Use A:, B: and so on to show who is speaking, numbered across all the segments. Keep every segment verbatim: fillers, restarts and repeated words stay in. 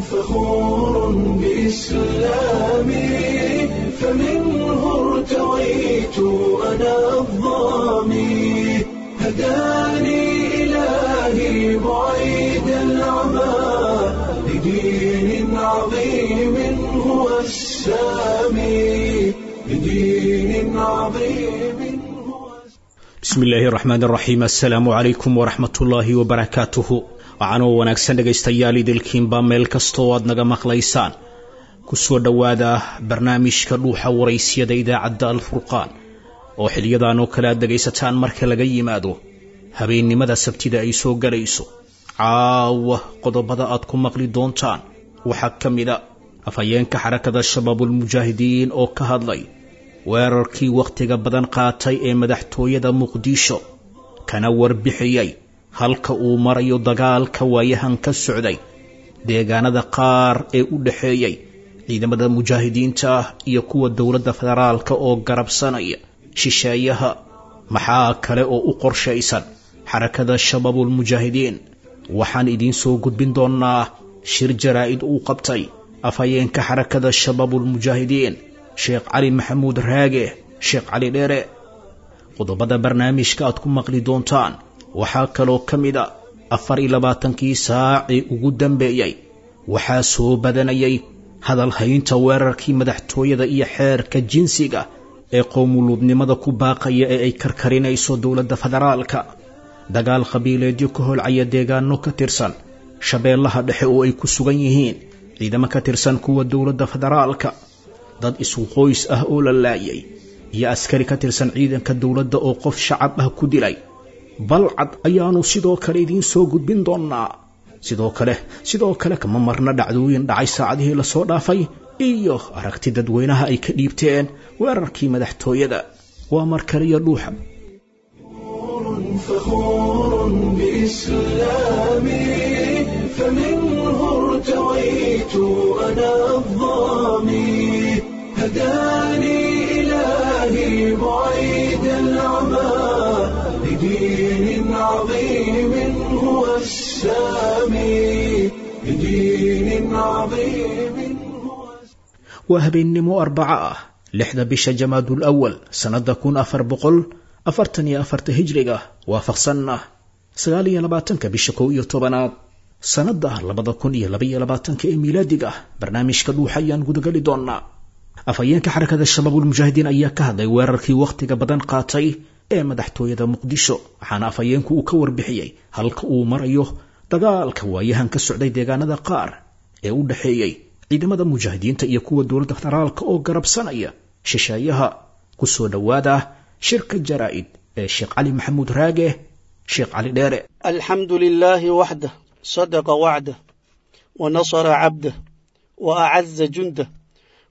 A: فخور بإسلامي فمنه ارتويت أنا الظامي هداني إلهي بعيد العمى لدين عظيم هو السامي لدين عظيم هو.
B: Bismi illaahi raxmaan raxiim, assalaamu calaykum waraxmatullaahi wabarakaatuhu. Waxaanoo wanaagsan dhegaystayaal idilkiinba meel kastoo aad naga maqlaysaan, kusoo dhowaada barnaamijka Dhuuxa Waraysyada idaacadda Alfurqaan oo xiliyadan oo kale aad dhegaysataan marka laga yimaado habeennimada Sabtida ay soo galayso. Caawa qodobada aad ku maqli doontaan waxaa ka mid a afhayeenka Xarakada Shabaabulmujaahidiin oo ka hadlay weerarkii wakhtiga badan qaatay ee madaxtooyada Muqdisho, kana warbixiyey halka uu marayo dagaalka waayahan ka socday deegaanada qaar ee u dhexeeyey ciidamada mujaahidiinta ah iyo kuwa dowladda federaalka oo garabsanaya shisheeyaha. Maxaa kale oo u qorshaysan Xarakada Shabaabulmujaahidiin? Waxaan idiin soo gudbin doonaa shir jaraa'id uu qabtay afhayeenka Xarakada Shabaabulmujaahidiin, Sheekh Cali Maxamuud Raage, Sheekh Cali Dheere. Qodobada barnaamijka aad ku maqli doontaan waxaa kaloo ka mid a afar iyo labaatankii saacii ugu dambeeyey waxaa soo badanayay hadal haynta weerarkii madaxtooyada iyo xeerka jinsiga ee qowmuluudnimada ku baaqaya ee ay karkarinayso dowladda federaalka, dagaal qabiileedyo ka holcaya deegaano ka tirsan Shabeellaha Dhexe oo ay ku sugan yihiin ciidamo ka tirsan kuwa dowladda federaalka, dad isu qoys ah oo la laayay iyo askari ka tirsan ciidanka dowladda oo qof shacab ah ku dilay Balcad ayaanu sidoo kale idiin soo gudbin doonaa. Sidoo kale sidoo kale kama marna dhacdooyin dhacay saacadihii lasoo dhaafay iyo aragti dadweynaha ay ka dhiibteen weerarkii madaxtooyada. Waa mar kaliya Dhuuxa.
A: فخور بإسلامي فمنه ارتويت أنا الظامي هداني إلهي بعيد العمى لدين عظيم هو السامي لدين عظيم هو.
B: Waa habeennimo Arbaco ah, lixda bisha Jamaadul Awal, sannadda kun afar boqol afartan iyo afarta hijriga, waafaqsanna sagaal iyo labaatanka bisha kow iyo tobanaad sannadda labada kun iyo labaiyo labaatanka ee miilaadiga. Barnaamijka Dhuuxa ayaan gudagali doonaa. Afhayeenka Xarakada Shabaabulmujaahidiin ayaa ka hadlay weerarkii wakhtiga badan qaatay ee madaxtooyada Muqdisho, waxaana afhayeenku uu ka warbixiyey halka uu marayo dagaalka waayahan ka socday deegaanada qaar ee u dhexeeyey ciidamada mujaahidiinta iyo kuwa dowladda federaalka oo garabsanaya shisheeyaha. Kusoo dhowaada shirka jaraa'id ee Sheekh Cali Maxamuud Raage, Sheekh Cali Dheere.
C: الحمد لله وحده، صدق وعده ونصر عبده وأعز جنده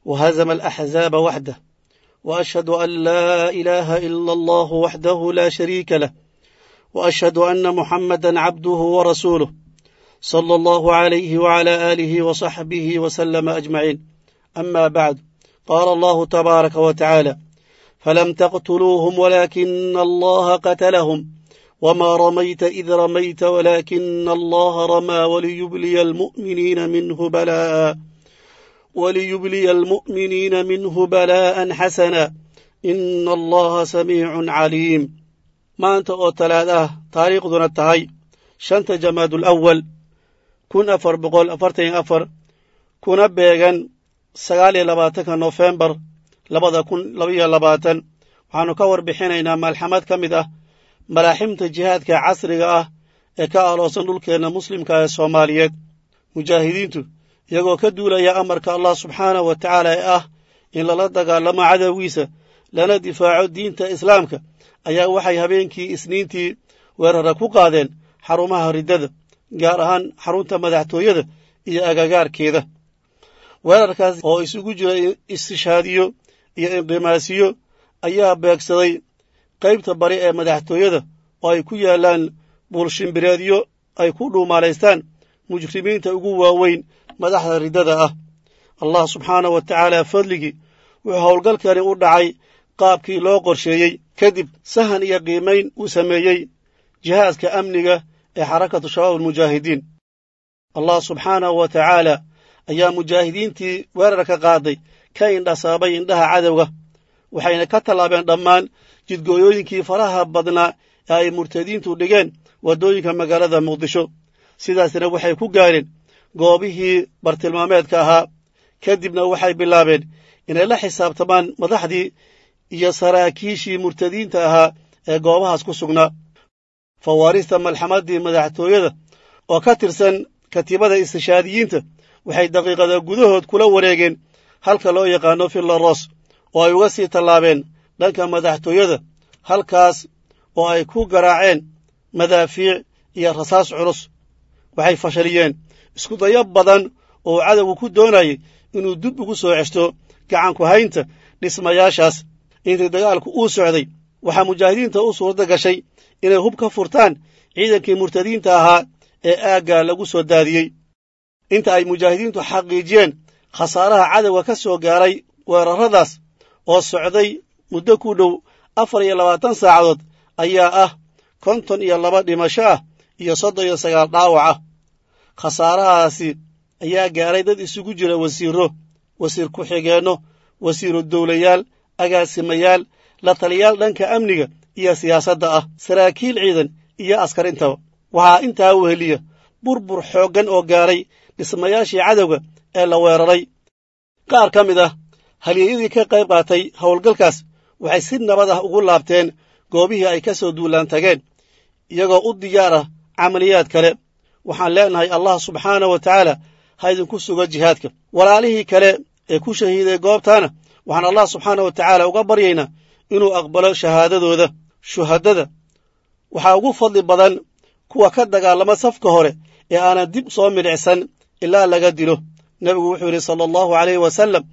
C: وهزم الأحزاب وحده، وأشهد أن لا إله إلا الله وحده لا شريك له، وأشهد أن محمدا عبده ورسوله، صلى الله عليه وعلى آله وصحبه وسلم أجمعين. أما بعد، قال الله تبارك وتعالى: فلم تقتلوهم ولكن الله قتلهم، وما رميت إذ رميت ولكن الله رمى، وليبلي المؤمنين منه بلاء وليبلي المؤمنين منه بلاء حسنا، إن الله سميع عليم. Maanta oo Talaad ah, taariikhduna tahay shanta Jamaadul Awal kun afar boqol afartan iyo afar, kuna beegan sagaal iyo labaatanka Nofembar labada kun labaiyo labaatan, waxaannu ka warbixinaynaa malxamad ka mid ah malaaximta jihaadka casriga ah ee ka aloosan dhulkeenna muslimka ee Soomaaliyeed. Mujaahidiintu iyagoo ka duulaya amarka Allah subxaanahu wa tacaala ee ah in lala dagaalamo cadowgiisa lana difaaco diinta Islaamka ayaa waxay habeenkii Isniintii weerara ku qaadeen xarumaha riddada, gaar ahaan xarunta madaxtooyada iyo agagaarkeeda. Weerarkaas oo isugu jira istishaadiyo iyo inqimaasiyo ayaa beegsaday qaybta bari ee madaxtooyada oo ay ku yaallaan buulshimbireedyo ay ku dhuumaalaystaan mujrimiinta ugu waaweyn madaxda riddada ah. Allah subxaanahu wa tacaala fadligii, wuxuu howlgalkani u dhacay qaabkii loo qorsheeyey kadib sahan iyo qiimayn uu sameeyey jihaaska amniga ee Xarakatu Shabaab Almujaahidiin. Allah subxaanahu wa tacaala ayaa mujaahidiintii weerarka qaaday ka indhasaabay indhaha cadowga, waxayna ka tallaabeen dhammaan jidgooyooyinkii faraha badnaa ee ay murtadiintu dhigeen waddooyinka magaalada Muqdisho. Sidaasna waxay ku gaareen goobihii bartilmaameedka ahaa. Kadibna waxay bilaabeen inay la xisaabtamaan madaxdii iyo saraakiishii murtadiinta ahaa ee goobahaas ku sugnaa. Fawaarista malxamaddii madaxtooyada oo ka tirsan katiibada istishaadiyiinta waxay daqiiqada gudahood kula wareegeen halka loo yaqaano Villaros, oo ay uga sii tallaabeen dhanka madaxtooyada, halkaas oo ay ku garaaceen madaafiic iyo rasaas culus. Waxay fashaliyeen isku dayo badan oo cadowgu ku doonayay inuu dib ugu soo ceshto gacanku haynta dhismayaashaas. Intii dagaalku uu socday, waxaa mujaahidiinta u suurta gashay inay hub ka furtaan ciidankii murtadiinta ahaa ee aagga lagu soo daadiyey. Inta ay mujaahidiintu xaqiijiyeen khasaaraha cadowga ka soo gaaray weerarradaas oo socday muddo ku dhow afar iyo labaatan saacadood ayaa ah konton iyo laba dhimasho ah iyo soddon iyo sagaal dhaawac ah. Khasaarahaasi ayaa gaaray dad isugu jira wasiirro, wasiir ku-xigeenno, wasiiru dowlayaal, agaasimayaal, la taliyaal dhanka amniga iyo siyaasadda ah, saraakiil ciidan iyo askar intaba. Waxaa intaa weheliya burbur xooggan oo gaaray dhismayaashii cadowga ee la weeraray. Qaar ka mid ah halyeeyadii ka qayb qaatay howlgalkaas waxay si nabad ah ugu laabteen goobihii ay ka soo duulaan tageen, iyagoo u diyaar ah camaliyaad kale. Waxaan leenahay Allah subxaana wa tacaala ha idinku sugo jihaadka. Walaalihii kale ee ku shahiiday goobtaana waxaan Allah subxaana wa tacaala uga baryaynaa inuu aqbalo shahaadadooda. Shuhadada waxaa ugu fadli badan kuwa ka dagaalama safka hore ee aanan dib soo milicsan ilaa laga dilo. Nebigu wuxuu yidhi sala allahu calayhi wasalam: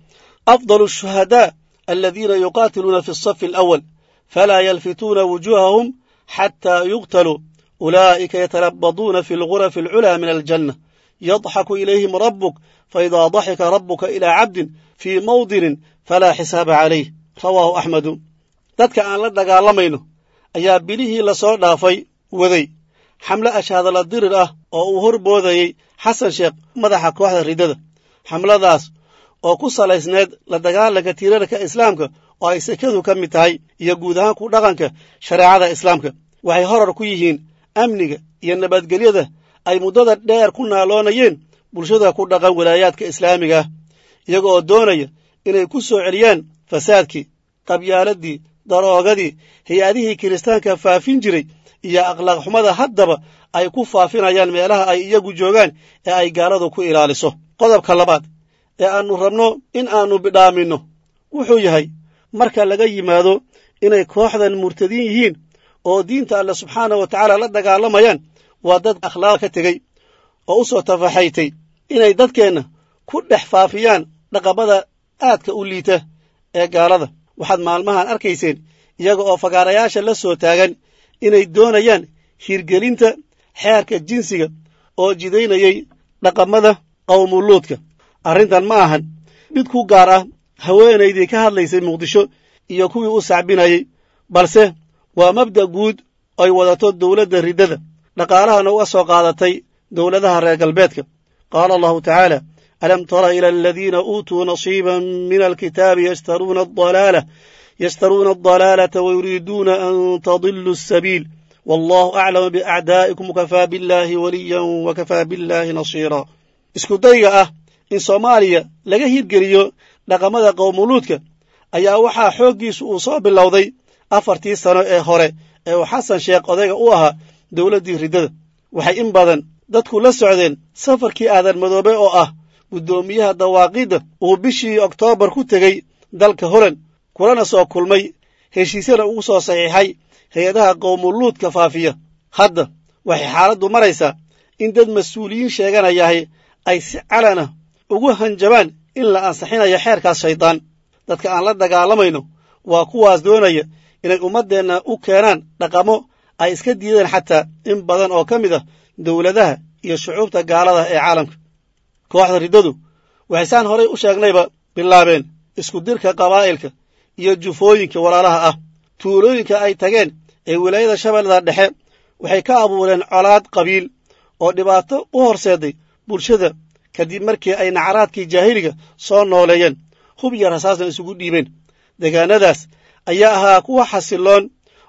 C: afdalu ashuhadaa aladiina yuqaatiluuna fi asafi alawal falaa yalfituuna wujuuhahum xataa yuqtaluu, ulaa'ika yatalabaduuna fi algurafi alculaa min aljanna, yadxaku ilayhim rabbuk, faidaa daxika rabbuka ilaa cabdin fii mawdinin falaa xisaaba calayh. Rawaahu Axmedu. Dadka aan la dagaalamayno ayaa bilihii lasoo dhaafay waday xamle ashaadala dirir ah oo uu hor boodayey Xasan Sheekh, madaxa kooxda riddada. Xamladaas oo ku salaysneed la dagaalanka tiirarka islaamka oo ay sekadu ka mid tahay iyo guud ahaan ku dhaqanka shareecada islaamka, waxay horar ku yihiin amniga iyo nabadgelyada ay muddada dheer ku naaloonayeen bulshada ku dhaqan walaayaadka islaamiga ah, iyaga oo doonaya inay ku soo celiyaan fasaadkii, qabyaaladii, daroogadii, hay-adihii kiristaanka faafin jiray iyo akhlaaq xumada haddaba ay ku faafinayaan meelaha ay iyagu joogaan ee ay gaaladu ku ilaaliso. Qodobka labaad ee aannu rabno in aannu bidhaaminno wuxuu yahay, marka laga yimaado inay kooxdan murtadiin yihiin oo diinta Alle subxaana wa tacaala la dagaalamayaan, waa dad akhlaaq ka tegey oo u soo tafaxaytay inay dadkeenna ku dhex faafiyaan dhaqamada aadka u liita ee gaalada. Waxaad maalmahan arkayseen iyaga oo fagaarayaasha la soo taagan inay doonayaan hirgelinta xeerka jinsiga oo jidaynayay dhaqamada qawmuluudka. Arrintan ma ahan mid ku gaar ah haweenaydii ka hadlaysay Muqdisho iyo kuwii u sacbinayey, balse waa mabda' guud ay wadato dowladda riddada, dhaqaalahana uga soo qaadatay dowladaha reer galbeedka. Qaala Allahu tacaala: alam tara ila aladiina uutuu nasiiban min alkitaabi yashtaruuna adalaala yashtaruuna adalaalata wayuriiduuna an tadiluu asabiil, wallahu aclamu biacdaa'ikum, wakafaa billaahi waliyan wakafaa billaahi nasiira. Isku dayga ah in Soomaaliya laga hirgeliyo dhaqamada qowmuluudka ayaa waxaa xooggiisu uu soo bilowday afartii sano ee hore ee uu Xasan Sheekh odayga u ahaa dowladdii riddada. Waxay in badan dadku la socdeen safarkii Aadan Madoobe oo ah guddoomiyaha dawaaqidda uu bishii Oktoobar ku tegey dalka Holand, kulana soo kulmay heshiisyana ugu soo saxiixay hay-adaha qowmuluudka faafiya. Hadda waxay xaaladdu maraysaa in dad mas-uuliyiin sheeganayahay ay si calana ugu hanjabaan in la ansaxinayo xeerkaas shaydaan. Dadka aan la dagaalamayno waa kuwaas doonaya inay ummaddeenna u keenaan dhaqamo ay iska diideen xataa in badan oo ka mid ah dowladaha iyo shucuubta gaalada ee caalamka. Kooxda riddadu waxay saan horay u sheegnayba bilaabeen isku dirka qabaa'ilka iyo jufooyinka walaalaha ah. Tuulooyinka ay tageen ee wilaayada Shabeellada Dhexe waxay ka abuureen colaad qabiil oo dhibaato u horseeday bulshada Kadib markii ay nacaraadkii jaahiliga soo nooleeyeen, hub iyo rasaasna isugu dhiibeen. Deegaanadaas ayaa ahaa kuwa xasiloon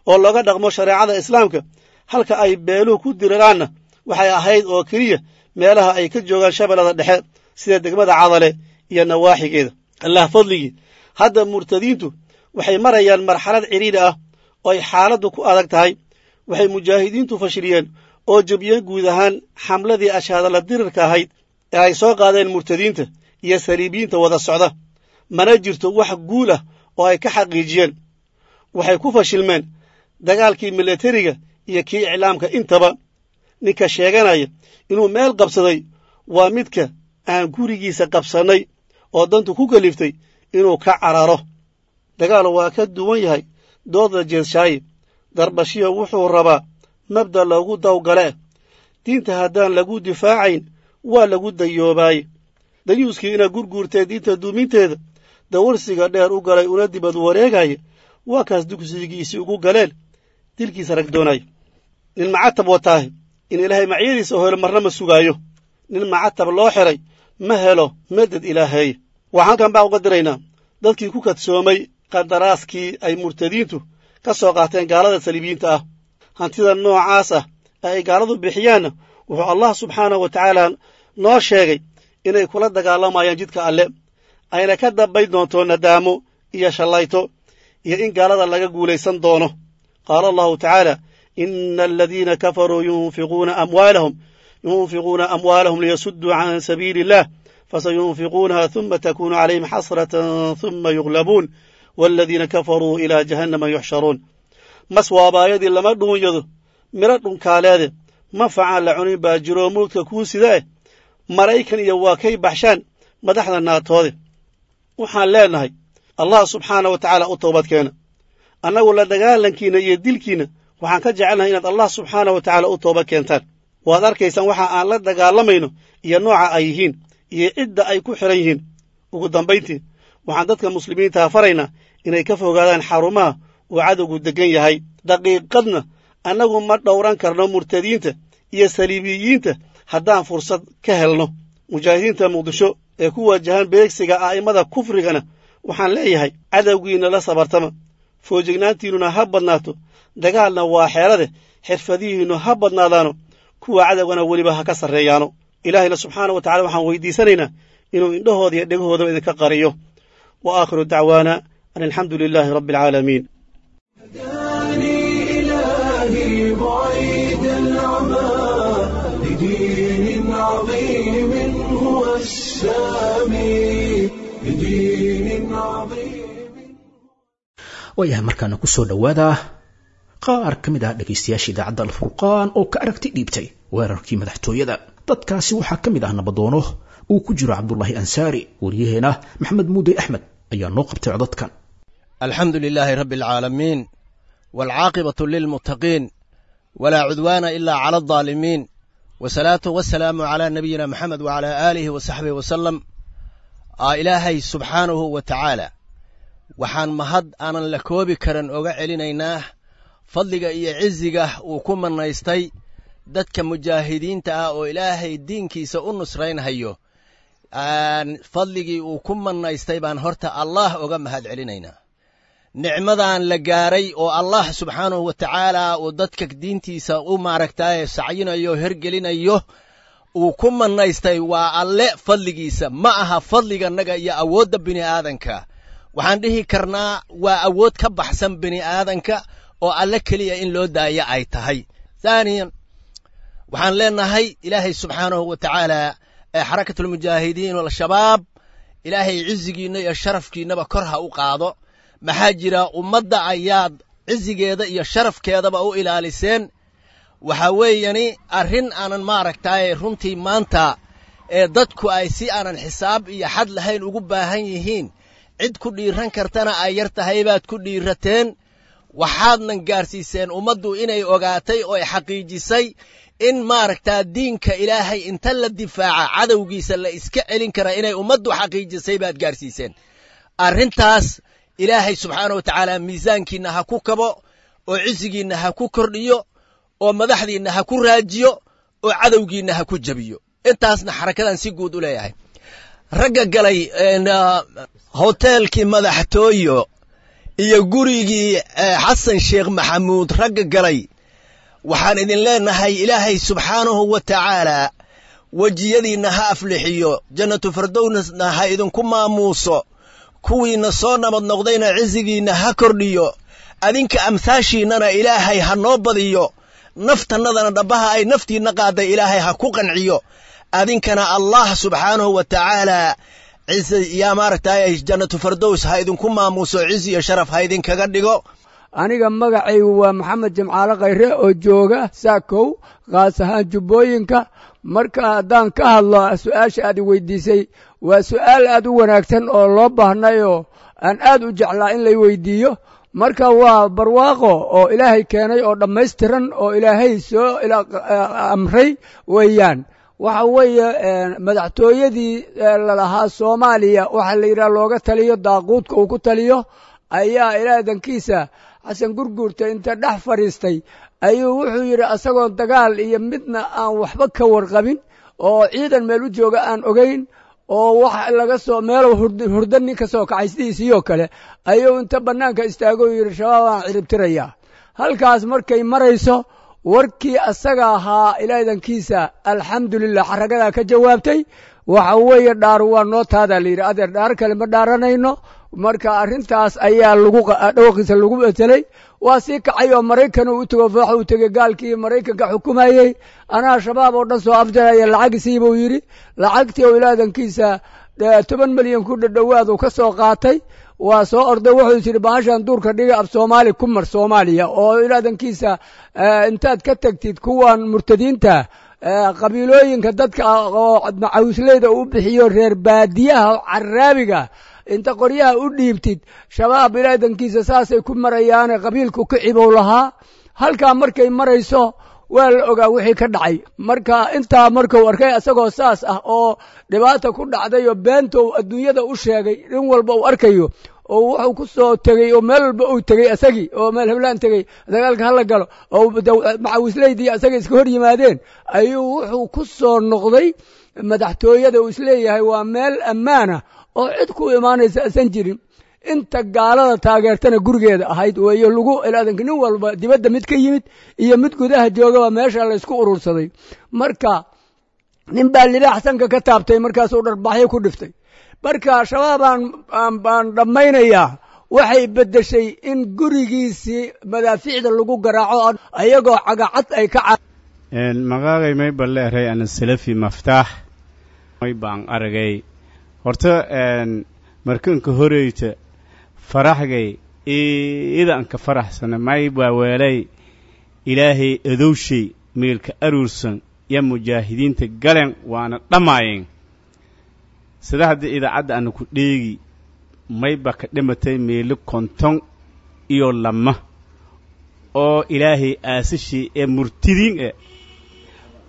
C: oo looga dhaqmo shareecada islaamka, halka ay beeluhu ku diriraanna waxay ahayd oo keliya meelaha ay ka joogaan Shabeellada Dhexe, sida degmada Cadale iyo nawaaxigeeda. Allah fadligii, hadda murtadiintu waxay marayaan marxalad cidhiidhi ah oo ay xaaladdu ku adag tahay. Waxay mujaahidiintu fashiliyeen oo jebiyeen guud ahaan xamladii ashaadala dirirka ahayd ee ay soo qaadeen murtadiinta iyo saliibiyiinta wada socda. Mana jirto wax guul ah oo ay ka xaqiijiyeen. Waxay ku fashilmeen dagaalkii milatariga iyo kii iclaamka intaba. Ninka sheeganaya inuu meel qabsaday waa midka aan gurigiisa qabsannay oo dantu ku kaliftay inuu ka cararo. Dagaal waa ka duwan yahay dooda jeedshaaye. Darbashiyo wuxuu rabaa mabda lagu dawgale. Diinta haddaan lagu difaacayn waa lagu dayoobaay. Dayuuskii ina gurguurtee diinta duuminteeda dawarsiga dheer u galay una dibad wareegaya, waa kaas dugsigiisii ugu galeen dilkiisa rag doonaya. Nin macatab wataahi in Ilaahay macyadiisa helo marna ma sugaayo. Nin macatab loo xiray ma helo madad Ilaahay. Waxaan halkan baa uga diraynaa dadkii ku kadsoomay qadaraaskii ay murtadiintu ka soo qaateen gaalada saliibiyiinta ah. Hantida noocaas ah ee ay gaaladu bixiyaanna wuxuu Allah subxaanahu wa tacaala noo sheegay inay kula dagaalamayaan jidka Alle, ayna ka dambayn doonto nadaamo iyo shallayto iyo in gaalada laga guulaysan doono. Qaala Allahu tacaala: ina aladiina kafaruu yunfiquuna amwaalahum yunfiquuna amwaalahum liyasudduu can sabiili illah, fasayunfiquunaha huma takunu calayhim xasratan huma yuglabuun, waaladiina kafaruu ilaa jahannama yuxsharuun. Mas waabaayadii lama dhuunyado midho dhunkaaleede, ma facaan la cunin baa jiroo mawdka kuu sidae, Maraykan iyo waa kay baxshaan madaxda naatoode. Waxaan leenahay, Allah subxaana wa tacaala u toobad keena. Annagu la dagaalankiinna iyo dilkiinna waxaan ka jecelnahay inaad Allah subxaana wa tacaala u toobad keentaan. Waad arkaysaan waxa aan la dagaalamayno iyo nooca ay yihiin iyo cidda ay ku xidhan yihiin. Ugu dambayntii, waxaan dadka muslimiintaha faraynaa inay ka fogaadaan xarumaha uu cadowgu deggan yahay. Daqiiqadna annagu ma dhowran karno murtadiinta iyo saliibiyiinta haddaan fursad ka helno. Mujaahidiinta Muqdisho ee ku wajahan beegsiga a'immada kufrigana waxaan leeyahay: cadowgiinna la sabartama, foojignaantiinnuna ha badnaato. Dagaalna waa xeelade, xirfadihiinnu ha badnaadaano, kuwa cadowgana weliba ha ka sarreeyaano. Ilaahayna subxaana wa tacala waxaan weydiisanaynaa inuu indhahooda iyo dhegahoodaba idinka qariyo. Wa aakhiru dacwaana an alxamdu lilaahi rabbi alcaalamiin.
A: هداني إلهي بعيد العمى لدين عظيم هو السامي، لدين عظيم.
B: Waayahay, markaana ku soo dhowaada qaar ka mid ah dhegaystayaasha idaacadda Alfurqaan oo ka aragti dhiibtay weerarkii madaxtooyada. Dadkaasi waxaa ka mid ah nabadoono uu ku jiro Cabdulaahi Ansaari. Wariyaheena Maxamed Muudey Axmed ayaa noo qabtay codadkan.
D: الحمد لله رب العالمين، والعاقبة للمتقين، ولا عدوان إلا على الظالمين، والصلاة والسلام على نبينا محمد وعلى آله وصحبه وسلم. آه إلهي سبحانه وتعالى waxaan mahad aanan la koobi karin oga celinaynaa fadliga iyo ciziga uu ku manaystay dadka mujaahidiinta ah oo Ilaahay diinkiisa u nusraynhayo. Fadligii uu ku manaystay baan horta Allah oga mahad celinaynaa. Nicmadan la gaaray oo Allah subxaanahu wa tacaala uu dadka diintiisa u maaragtaaye sacyinayo, hergelinayo, uu ku manaystay waa Alle fadligiisa, ma aha fadliganaga iyo awoodda bini aadanka. Waxaan dhihi karnaa waa awood ka baxsan bini aadanka oo Alle keliya in loo daayo ay tahay. Thaaniyan, waxaan leenahay Ilaahay subxaanahu wa tacaala ee Xarakatulmujaahidiin Al-Shabaab, Ilaahay cizigiinna iyo sharafkiinnaba kor ha u qaado. Maxaa jira, ummadda ayaad cizigeeda iyo sharafkeedaba u ilaaliseen. Waxaa weeyani arrin aanan maaragtaaye runtii maanta ee dadku ay si aanan xisaab iyo xad lahayn ugu baahan yihiin, cid ku dhiiran kartana ay yar tahay baad ku dhiirateen. Waxaadnan gaarsiiseen ummaddu inay ogaatay oo ay xaqiijisay in maaragtaa diinka Ilaahay inta la difaaca cadowgiisa la iska celin kara, inay ummaddu xaqiijisay baad gaarsiiseen arrintaas. Ilaahay subxaana wa tacaala miisaankiinna ha ku kabo, oo cisigiinna ha ku kordhiyo, oo madaxdiinna ha ku raajiyo, oo cadowgiinna ha ku jebiyo. Intaasna xarakadan si guud u leeyahay. Ragga galay hoteelkii madaxtooyo iyo gurigii Xasan Sheekh Maxamuud, ragga galay, waxaan idin leenahay Ilaahay subxaanahu wa tacaalaa wejiyadiinna ha aflixiyo, jannatu fardowsna ha idinku maamuuso, kuwiinna soo nabad noqdayna cisigiinna ha kordhiyo, adinka amhaashiinnana Ilaahay ha noo badiyo, naftannadana dhabbaha ay naftiinna qaaday Ilaahay ha ku qanciyo, adinkana Allah subxaanahu wa tacaalaa ciise yaa maaragtay jannatu fardows ha idinku maamuuso, cizi iyo sharaf ha idinkaga dhigo.
E: Aniga magacaygu waa Maxamed Jimcaale Khayre oo jooga Saakow, khaas ahaan Jubbooyinka. Marka haddaan ka hadlo su-aasha aad i weydiisay, waa su'aal aad u wanaagsan oo loo baahnayoo aan aad u jeclaa in lay weydiiyo. Marka waa barwaaqo oo Ilaahay keenay oo dhammaystiran oo Ilaahay soo amray weeyaan. Waxa weeye madaxtooyadii lalahaa Soomaaliya, waxaa la yidhaha looga taliyo daaquudka uu ku taliyo, ayaa ilaadankiisa Xasan Gurguurta inta dhex fadhiistay ayuu wuxuu yidhi, asagoon dagaal iyo midna aan waxba ka warqabin oo ciidan meel u jooga aan ogayn oo wax laga soo meel hurdo nin ka soo kacay sidiisiiyoo kale, ayuu inta bannaanka istaagoo yidhi Shabaab aan ciribtirayaa. Halkaas markay marayso warkii asaga ahaa, ilaadankiisa alxamdulilah xaragadaa ka jawaabtay. Waxa weeye dhaaru waa noo taadaa la yidhi, adeer dhaar kale ma dhaaranayno. Marka arrintaas ayaa lagu dhawaqiisa lagu betelay. Waa sii kacay oo Maraykan uu u tego, waxa uu tegey gaalkii Maraykanka xukumayey. Anaa Shabaab oo dhan soo afjaraya, lacag sii buu yidhi. Lacagtii oo ilaadankiisa toban milyan ku dhadhowaad uu ka soo qaatay, waa soo orday. Wuxuu yidhi bahashan duurka dhiga, af Soomaali ku mar Soomaaliya oo ilaadankiisa intaad ka tagtid kuwan murtadiinta qabiilooyinka dadka oo macawisleyda uu bixiyo, reer baadiyaha caraabiga inta qoryaha u dhiibtid, Shabaab ilaadankiisa saasay ku marayaane qabiilku ka cibow lahaa. Halkaa markay marayso waa la ogaa wixii ka dhacay. Marka intaa markuu arkay isagoo saas ah oo dhibaata ku dhacday oo beentou adduunyada u sheegay in walba uu arkayo oo wuxuu ku soo tegey oo meel walba uu tegey asagii oo meel heblaan tegey dagaalka hala galo oo macawisleydii asaga iska hor yimaadeen, ayuu wuxuu ku soo noqday madaxtooyada uu isleeyahay waa meel ammaana oo cid ku imaanaysa asan jirin. Inta gaalada taageertana gurigeeda ahayd weeyo lagu ilaadanka nin walba dibadda mid ka yimid iyo mid gudaha joogaba meesha la isku urursaday. Marka nin baa libaax sanka ka taabtay, markaasuu dharbaxyo ku dhiftay. Marka Shabaabaan baan dhammaynayaa waxay beddeshay in gurigiisii madaafiicda lagu garaaco ayagoo cagacad ay ka
F: Magaagay may balleeray ana Salafi Maftaax. May baan aragay horta markanka horeyta faraxgay iidanka faraxsana, may baa weelay Ilaahay adowshay meelka aruursan ya mujaahidiinta galeen waana dhammaayeen. Sida haddii idaacadda aanu ku dheegi, mayba ka dhimatay meelo konton iyo lama oo Ilaahay aasashii ee murtidiin eh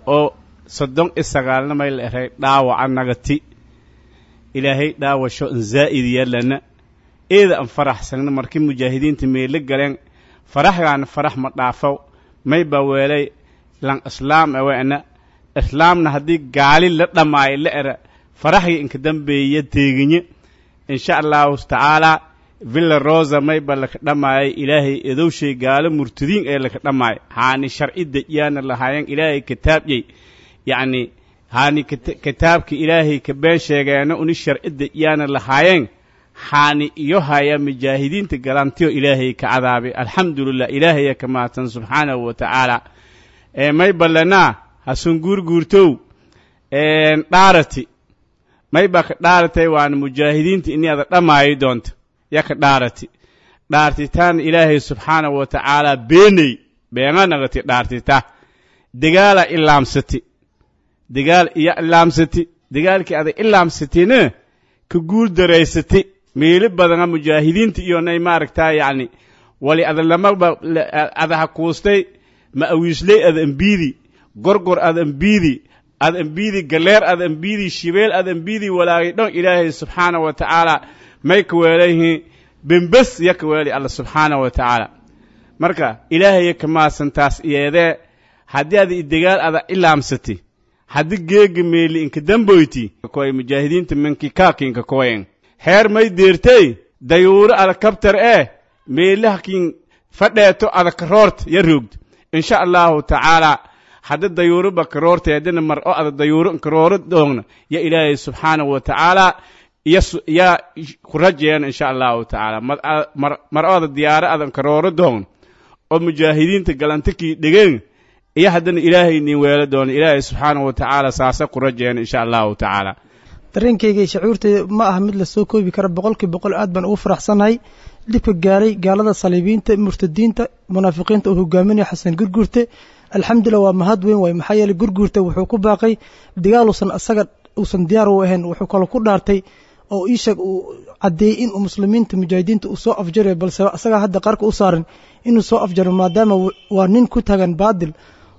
F: oo soddon iyo sagaalna may la eray dhaawaca nagati. Ilaahay dhaawasho an zaa'id yeelana. Eeda an faraxsanna markii mujaahidiinta meelo galeen, faraxgaana farax ma dhaafow. May baa weelay lan islaam aweena islaamna haddii gaali la dhammaayo la era faraxgii inka dambeeya deeginye. Insha Allahu tacaalaa Villa Rosa may ba laka dhammaayay Ilaahay edowshay gaalo murtadiin ee laka dhammaay, haani sharci dejiyaana lahaayeen Ilaahay kitaabyey, yacni haani kitaabka Ilaahay ka been sheegeena uni sharci dejiyaana lahaayeen, haani iyo haya mujaahidiinta galantiyo Ilaahay ka cadaabay. Alxamdulilah, Ilaahaya ka mahadsan subxaanahu wa tacaala. Ee may ballanaa hasun guurguurtow dhaarati, may baa ka dhaaratay waana mujaahidiinta ini ada dhammaayi doonta ya ka dhaarati. Dhaartitaan Ilaahay subxaanahu wa tacaala beeney beena nagati dhaartita. Degaala ilaamsati, degaal iyo ilaamsati, degaalkii ada ilaamsatina ka guul daraysati meelo badana mujaahidiinta iyo nay maaragtaa yacni wali ada lamaba ada hakuustay ma awiisley ada ambiidi gorgor ada ambiidi ada ambiidi galeer ada ambiidi shibeel ada ambiidi walaagay dhan Ilaahay subxaanahu wa tacaala may ka weelayhiin bembes ya ka weelay Alla subxaanahu wa tacaala. Marka Ilaahaya ka maasantaas iyeedee haddii ada idegaal ada ilaamsati Haddii geega meeli inka damboyti koy mujaahidiinta minki kaakinka koyen heer may deertey dayuuro alakabtar ee meelahakin fadheeto adakaroort ya roogd insha allahu tacaala. Hadda dayuuro bakaroorta haddana mar o ada dayuuro inkarooro doogna ya Ilaahay subxaanahu wa tacaala ya ku rajeeyaan insha allahu tacaala. Mar o ada diyaaro ada inkarooro doogna oo mujaahidiinta galantakii dhegeen iyo haddana Ilaahay nin weelo doono, Ilaahay subxaanahu wa tacaala saasa ku rajeeyaan insha allahu tacaala.
G: Dareenkayga iyo shucuurtayda ma aha mid lasoo koobi kara. Boqolkii boqol aad baan ugu faraxsanahay dhibka gaaray gaalada saliibiinta, murtadiinta, munaafiqiinta uu hogaaminayo Xasan Gurguurte. Alxamdulillah, waa mahad weyn waay. Maxaa yeeley Gurguurte wuxuu ku baaqay dagaal uusan asaga uusan diyaar u ahayn. Wuxuu kaloo ku dhaartay oo ii sheeg uu caddeeyey in uu muslimiinta mujaahidiinta uu soo afjarayo, balse asagaa hadda qarka u saaran inuu soo afjaro, maadaama waa nin ku taagan baadil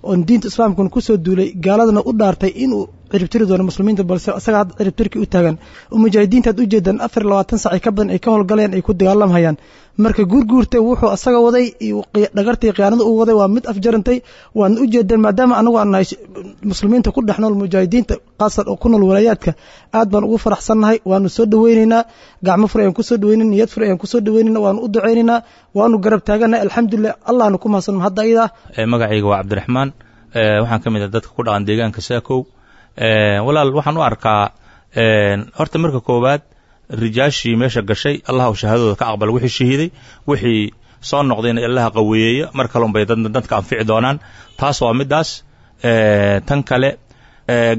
G: oon diinta islaamkuna kusoo duulay, gaaladana u dhaartay inuu ciribtiri doono muslimiinta, balse asaga hadda ciribtirkii u taagan oo mujaahidiinta aad ujeedaan afar iyo labaatan sac ka badan ay ka howlgalayaan, ay ku dagaalamhayaan. Marka Guurguurta wuxuu asaga waday iyo dhagartii khiyaanada uu waday waa mid afjarantay, waadna ujeedaan. Maadaama anagu aan nahay muslimiinta ku dhex nool mujaahidiinta, qaasar oo ku nool walaayaadka, aad baan ugu faraxsannahay, waanu soo dhaweynaynaa, gacmo fur ayaan kusoo dhaweynayna, niyad fur ayaan kusoo dhaweynayna, waanu u ducaynaynaa, waanu garab taaganahay. Alxamdulilah, Allahnu ku mahadsan hadda ayadaa.
H: Magacayga waa Cabdiraxmaan, waxaan ka mid ah dadka ku dhaqan deegaanka Saakow. Walaal, waxaan u arkaa horta marka koowaad rijaashii meesha gashay Allah u shahaadadooda ka aqbal, wixii shahiiday, wixii soo noqdayna Allaha qaweeyeeya, mar kale unbay dadka anfici doonaan. Taas waa middaas. Tan kale,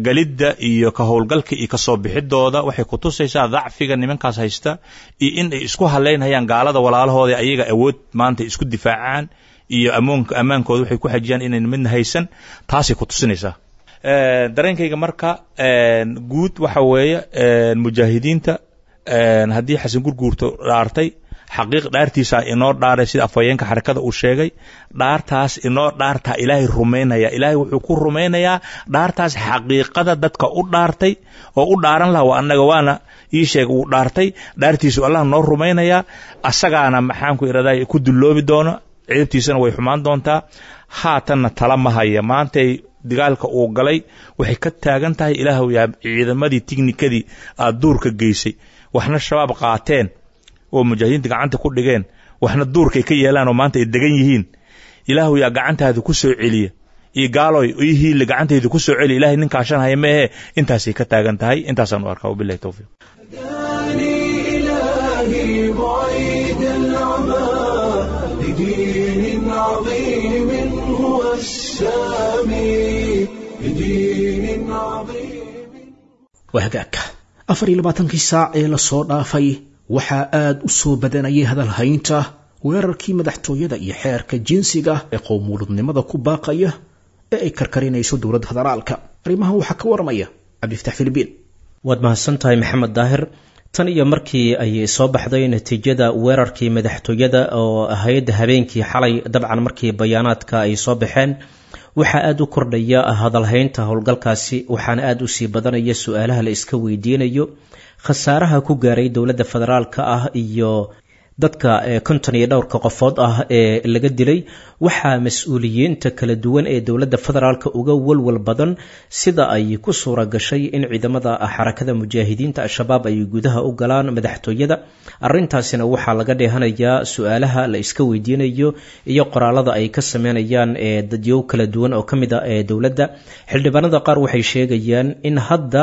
H: galidda iyo ka howlgalka iyo kasoo bixidooda waxay ku tusaysaa dacfiga nimankaas haysta iyo in ay isku halaynhayaan gaalada walaalahooda, ayaga awood maanta isku difaacaan iyo amoonka ammaankooda waxay ku xajiyaan inayn midna haysan. Taasay ku tusinaysaa. Dareenkayga marka guud waxa weeye, mujaahidiinta haddii Xasan Gurguurto dhaartay, xaqiiq dhaartiisaa inoo dhaaray, sida afhayeenka xarakada uu sheegay, dhaartaas inoo dhaartaa Ilaahay rumaynaya. Ilaahay wuxuu ku rumaynayaa dhaartaas xaqiiqada dadka u dhaartay oo u dhaaran laha waa annaga, waana ii sheeg uu dhaartay, dhaartiisu Allah noo rumaynayaa. Asagaana maxaanku iraday ku dulloobi doono, ceebtiisana way xumaan doontaa. Haatanna tala ma haya. Maantay dagaalka uu galay waxay ka taagan tahay, Ilaahw yaa ciidamadii tignikadii aad duurka geysay, waxna Shabaab qaateen oo mujaahidiinta gacanta ku dhigeen, waxna duurkay ka yeelaan oo maanta ay degan yihiin, Ilaahu yaa gacantaada ku soo celiya iyo gaaloy io hiille gacantayda ku soo celiya. Ilahay nin kaashanhaya meehe, intaasay ka taagan tahay. Intaasaan u arkaa, wabillahi towfiiq.
A: إلهي بعيد العمى لدين عظيم هو السامي، لدين عظيم.
B: Waa hagaagka. Afar iyo labaatankii saac ee lasoo dhaafay waxaa aad u soo badanayay hadalhaynta weerarkii madaxtooyada iyo xeerka jinsiga ee qowmuuludnimada ku baaqaya ee ay karkarinayso dowladda federaalka. Arrimahan waxaa ka waramaya Cabdiftaax Filibiin.
I: Waad mahadsan tahay, Maxamed Daahir. Tan iyo markii ay soo baxday natiijada weerarkii madaxtooyada oo ahayd habeenkii xalay, dabcan markii bayaanaadka ay soo baxeen, waxaa aada u kordhaya hadalhaynta howlgalkaasi, waxaana aada usii badanaya su-aalaha la iska weydiinayo khasaaraha ku gaaray dowladda federaalka ah iyo dadka konton iyo dhowrka qofood ah ee laga dilay. Waxaa mas-uuliyiinta kala duwan ee dowladda federaalka uga walwal badan sida ay ku suura gashay in ciidamada Xarakada Mujaahidiinta Al-Shabaab ay gudaha u galaan madaxtooyada. Arintaasina waxaa laga dheehanayaa su-aalaha la iska weydiinayo iyo qoraalada ay ka sameynayaan ee dadyow kala duwan oo kamid ah ee dowladda. Xildhibaanada qaar waxay sheegayaan in hadda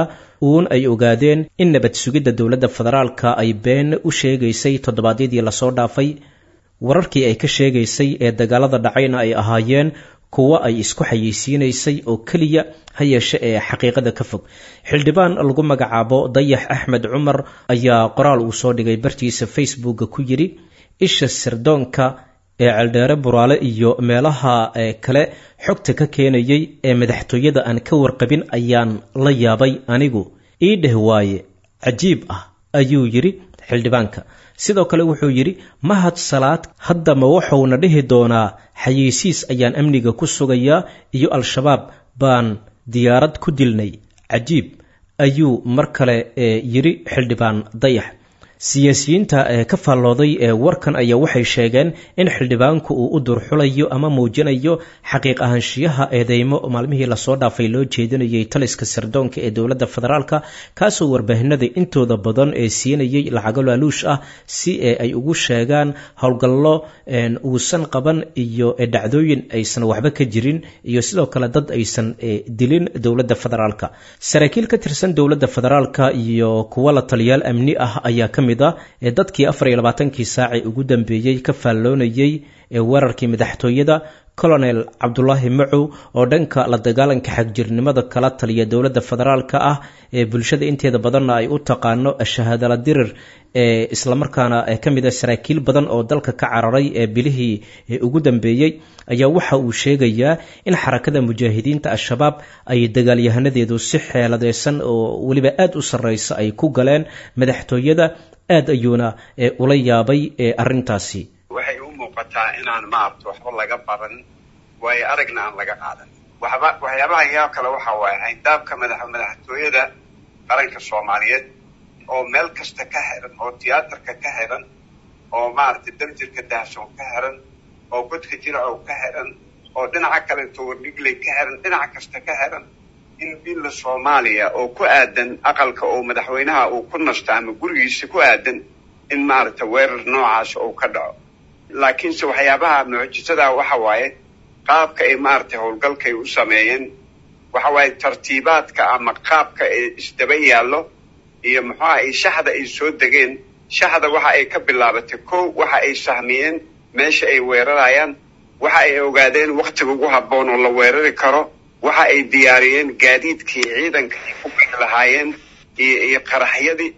I: uun ay ogaadeen in nabad sugidda dowladda federaalka ay been u sheegaysay toddobaadyadii lasoo dhaafay, wararkii ay ka sheegaysay ee dagaalada dhacayna ay ahaayeen kuwo ay isku xayeysiinaysay oo keliya, ha yeeshe ee xaqiiqada ka fog. Xildhibaan lagu magacaabo Dayax Axmed Cumar ayaa qoraal uu soo dhigay bartiisa Facebooka ku yidhi: "Isha sirdoonka ee Ceeldheere, Buraale iyo meelaha kale xogta ka keenayay ee madaxtooyada aan ka warqabin ayaan la yaabay anigu, ii dheh waaye cajiib ah," ayuu yidhi xildhibaanka. Sidoo kale wuxuu yidhi: "Mahad Salaad haddama wuxuuna dhihi doonaa xayeysiis ayaan amniga ku sugayaa iyo Al-Shabaab baan diyaarad ku dilnay, cajiib," ayuu mar kale yidhi xildhibaan Dayax. Siyaasiyiinta ee ka faallooday ee warkan ayaa waxay sheegeen in xildhibaanku uu u durxulayo ama muujinayo xaqiiq ahaanshiyaha eedeymo maalmihii lasoo dhaafay loo jeedinayay taliska sirdoonka ee dowladda federaalka, kaasoo warbaahinada intooda badan ee siinayay lacago laaluush ah si ee ay ugu sheegaan howlgallo uusan qaban iyo dhacdooyin aysan waxba ka jirin iyo sidoo kale dad aysan dilin dowladda federaalka. Saraakiil ka tirsan dowladda federaalka iyo kuwa la taliyaal amni ah ayaa ka mid ee dadkii afar iyo labaatankii saaci ugu dambeeyey ka faalloonayay ee weerarkii madaxtooyada. Colonel Cabdulaahi Macow oo dhanka la dagaalanka xagjirnimada kala taliya dowladda federaalka ah ee bulshada inteeda badanna ay u taqaano shahaadala dirir, ee islamarkaana ka mid a saraakiil badan oo dalka ka cararay ee bilihii ugu dambeeyey, ayaa waxa uu sheegayaa in xarakada mujaahidiinta Al-Shabaab ay dagaalyahanadeedu si xeeladeysan oo weliba aada u sarreysa ay ku galeen madaxtooyada. Aad ayuuna ula yaabay arrintaasi.
J: Waxay u muuqataa inaan maaragta waxba laga baran, waayo aragna aan laga qaadan waxba. Waxyaabaha yaab kale waxa waaye hayndaabka madax madaxtooyada qaranka Soomaaliyeed oo meel kasta ka xiran, oo tiyaatarka ka xiran, oo maaragtay Daljirka Dahsoon ka xiran, oo Godka Jiracow ka xiran, oo dhinaca kaleeto Wardhigley ka xiran, dhinac kasta ka xiran, in Villa Soomaaliya oo ku aadan aqalka oo madaxweynaha uu ku nasto ama gurigiisa ku aadan in maaragtay weerar noocaas uu ka dhaco. Laakiinse waxyaabaha mucjisada waxa waaye qaabka ay maaragtay howlgalkay u sameeyeen. Waxa waaye tartiibaadka ama qaabka ay isdaba yaallo iyo muxuuha ay shaxda ay soo degeen. Shaxda waxa ay ka bilaabatay kow, waxa ay sahmiyeen meesha ay weerarayaan, waxa ay ogaadeen waktiga ugu habboon oo la weerari karo, waxa ay diyaariyeen gaadiidkii ciidanka ay ku bixi lahaayeen iyo iyo qaraxyadii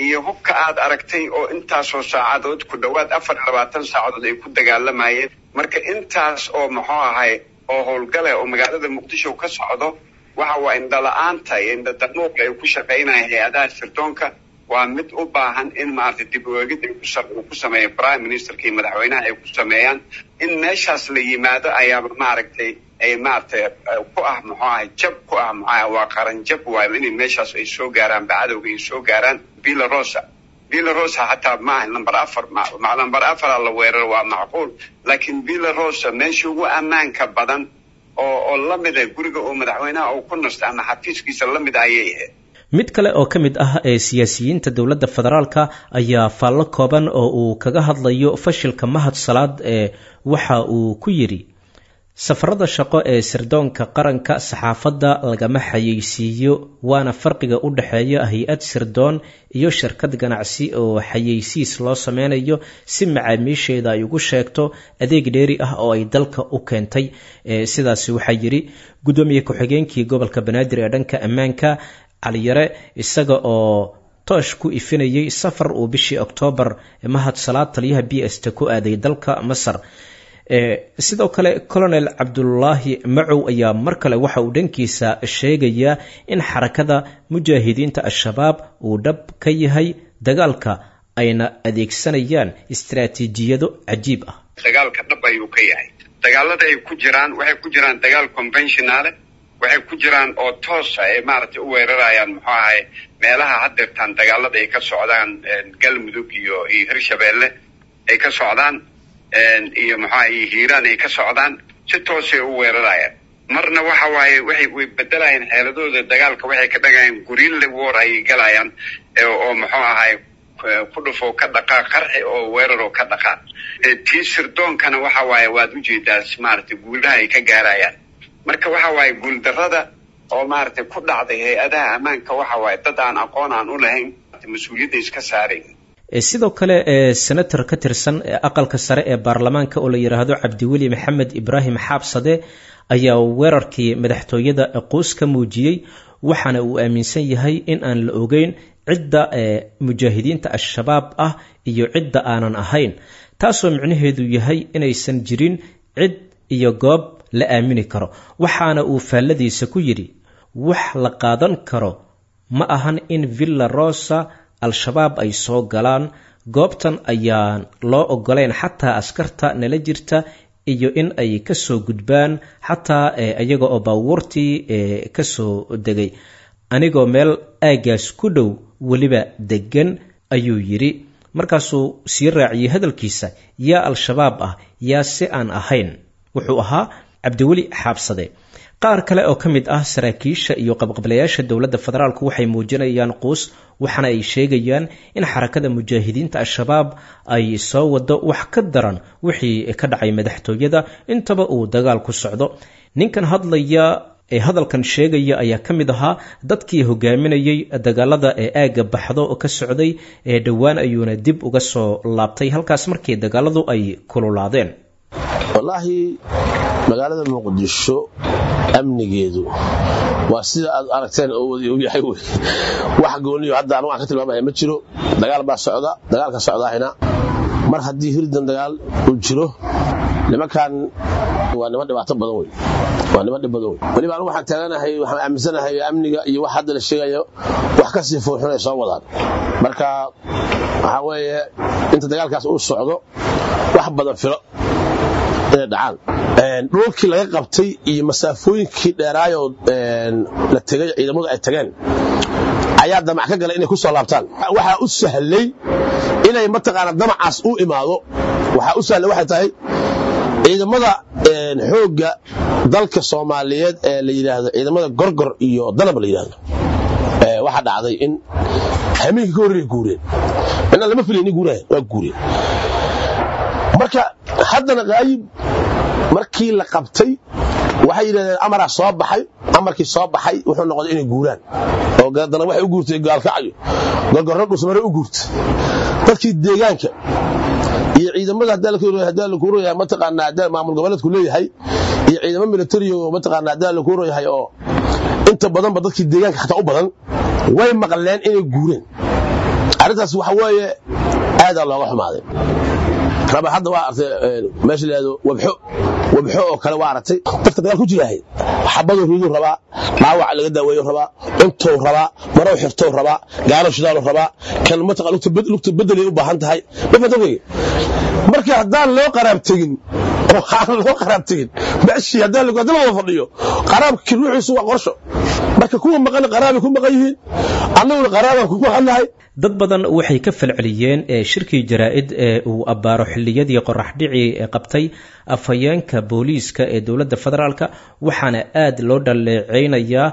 J: iyo hubka aad aragtay oo intaasoo saacadood, ku dhowaad afar iyo labaatan saacadood ay ku dagaalamayeen. Marka intaas oo muxuu ahay oo howlgale oo magaalada Muqdisho ka socdo, waxa waa indhala-aanta iyo indhadamuuqa ay ku shaqaynayaan hay-adaha sirdoonka waa mid u baahan in maaragtay dib u eegid ay ku ku sameeya prime ministerka iyo madaxweynaha ay ku sameeyaan. In meeshaas la yimaado ayaaba maaragtay ay maaragtay ku ah muxuu ahay jab ku ah, muxuu ahay waa qaran jab waayo inay meeshaas ay soo gaaraan, bacadowga ay soo gaaraan Villa Rosa. Villa Rosa xataa maaha number afar, ma number afara la weerar waa macquul, laakiin Villa Rosa meesha ugu ammaanka badan oo oo lamid ah guriga oo madaxweynaha uu ku nasto ama xafiiskiisa lamid ayay ahayd.
I: Mid kale oo ka mid ah ee siyaasiyiinta dowladda federaalka ayaa faallo kooban oo uu kaga hadlayo fashilka Mahad Salaad ee waxa uu ku yidhi: safarada shaqo ee sirdoonka qaranka saxaafadda lagama xayeysiiyo, waana farqiga u dhexeeya hay-ad sirdoon iyo shirkad ganacsi oo xayeysiis loo sameynayo si macaamiisheeda ay ugu sheegto adeeg dheeri ah oo ay dalka u keentay. Sidaasi waxaa yidhi guddoomiye ku-xigeenkii gobolka Banaadir ee dhanka ammaanka Caliyare, isaga oo toosh ku ifinayay safar uu bishii Oktoobar Mahad Salaad taliyaha B S t ku aaday dalka Masar. Sidoo kale Colonel Cabdulaahi Macow ayaa mar kale waxa uu dhankiisa sheegayaa in xarakada mujaahidiinta Al-Shabaab uu dhab ka yahay dagaalka ayna adeegsanayaan istaraatiijiyado cajiib ah.
J: Dagaalka dhab ayuu ka yahay. Dagaalada ay ku jiraan waxay ku jiraan dagaal conventionale, waxay ku jiraan oo toosa ay maaragtay u weerarayaan muxuu ahay meelaha haddeertaan dagaalada ay ka socdaan, Galmudug iyo iyo Hirshabeelle ay ka socdaan iyo muxuaha iyo Hiiraan ay ka socdaan, si toosay u weerarayaan. Marna waxa waaye waxay way bedelayaan xeeladooda dagaalka, waxay ka dhagayaan guerrilla war ayay galayaan oo muxuu ahay ku dhufoo ka dhaqaaq, qarxi oo weerar oo ka dhaqaaq. Tii sirdoonkana waxa waaye waad ujeedaa maaragtay guulaha ay ka gaarayaan. Marka waxa waaye guuldarrada oo maaragtay ku dhacday hay-adaha ammaanka waxa waaye dad aan aqoon aan u lahayn mas-uuliyadda iska saarayn.
I: Sidoo kale senator ka tirsan aqalka sare ee baarlamaanka oo la yidhaahdo Cabdiweli Maxamed Ibraahim Xaabsade ayaa weerarkii madaxtooyada quus ka muujiyey, waxaana uu aaminsan yahay in aan la ogeyn cidda mujaahidiinta Al-Shabaab ah iyo cidda aanan ahayn, taasoo micnaheedu yahay inaysan jirin cid iyo goob la aamini karo. Waxaana uu faalladiisa ku yidhi: wax la qaadan karo ma ahan in Villa Rosa Al-Shabaab ay soo galaan, goobtan ayaan loo ogolayn xataa askarta nala jirta iyo in ay ka soo gudbaan xataa iyaga oo baabuurtii ka soo degay, anigoo meel aagaas ku dhow weliba deggan, ayuu yidhi. Markaasuu sii raaciyey hadalkiisa, yaa Al-Shabaab ah, yaa si aan ahayn. Wuxuu ahaa Cabdiweli Xaabsade. Qaar kale oo ka mid ah saraakiisha iyo qabqablayaasha dowladda federaalku waxay muujinayaan quus, waxaana ay sheegayaan in xarakada mujaahidiinta Al-Shabaab ay soo wado wax ka daran wixii ka dhacay madaxtooyada intaba uu dagaal ku socdo. Ninkan hadlaya ee hadalkan sheegaya ayaa ka mid ahaa dadkii hogaaminayay dagaalada ee aagga Baxdo oo ka socday ee dhowaan ayuuna dib uga soo laabtay halkaas markii dagaaladu ay kululaadeen.
K: Wallaahi magaalada Muqdisho amnigeedu waa sida aad aragteen oo wadi og yahay wey. Wax gooniyo hadda anu aan ka tilmaamaya ma jiro. Dagaal baa socda, dagaalka socdaahina mar haddii hirdan dagaal uu jiro, nimankan waa niman dhibaato badan wey, waa niman dhib badan wey. Weliba anigu waxaan taaganahay, waxaan aaminsanahay amniga iyo wax hadda la sheegayo wax ka sii foolxun ay soo wadaan. Marka waxaa weeye inta dagaalkaas uu socdo wax badan filo inay dhacaan. Dhulkii laga qabtay iyo masaafooyinkii dheeraayoo la tegay ciidamadu ay tageen ayaa damac ka galay inay ku soo laabtaan. Waxaa u sahlay inay mataqaana damacaas u imaado, waxaa u sahlay waxay tahay ciidamada xoogga dalka Soomaaliyeed ee la yidhaahdo ciidamada Gorgor iyo Danab la yidhaahdo. Waxaa dhacday in hameenkii ka horreeyay guureen, inna lama filaynin guuraya, waa guureen. Marka haddana Qaayib markii la qabtay waxay yidhahdeen amaraa soo baxay. Amarkii soo baxay wuxuu noqday inay guuraan oo haddana waxay u guurtay Gaalkacyo, Gorgorro Dhusmare u guurtay. Dadkii deegaanka iyo ciidamada hadaa la kuuroyahay mataqaanaa hadaa maamul goboleedku leeyahay iyo ciidamo military oo mataqaanaa hadaa la kuuroyahay oo inta badanba dadkii deegaanka xataa u badan way maqleen inay guureen. Arrintaas waxa weeye aadaa looga xumaaday. Raba hadda waa artay meesha la yidhaahdo Wabxo, Wabxo oo kale waa aragtay dadka dagaal ku jiraahay xabaduu riduu rabaa, dhaawaca laga daaweeyo rabaa, cuntou rabaa, marow xirtou rabaa, gaalo shidaalu rabaa, kan mataqa lugta bedelay u baahan tahay. Ma fahamtay? Marka haddaan loo qaraab tegin oo aan loo qaraab tegin meeshii haddaan lagu haddii la wada fadhiyo qaraabkii ruuxiisu waa qorsho. Marka kuwa maqan qaraabay ku maqan yihiin, annaguna qaraabaan ku maqannahay.
I: Dad badan waxay ka falceliyeen shirkii jaraa'id ee uu abbaaro xilliyadii qoraxdhicii ee qabtay afhayeenka booliiska ee dowladda federaalka, waxaana aad loo dhaleeceynayaa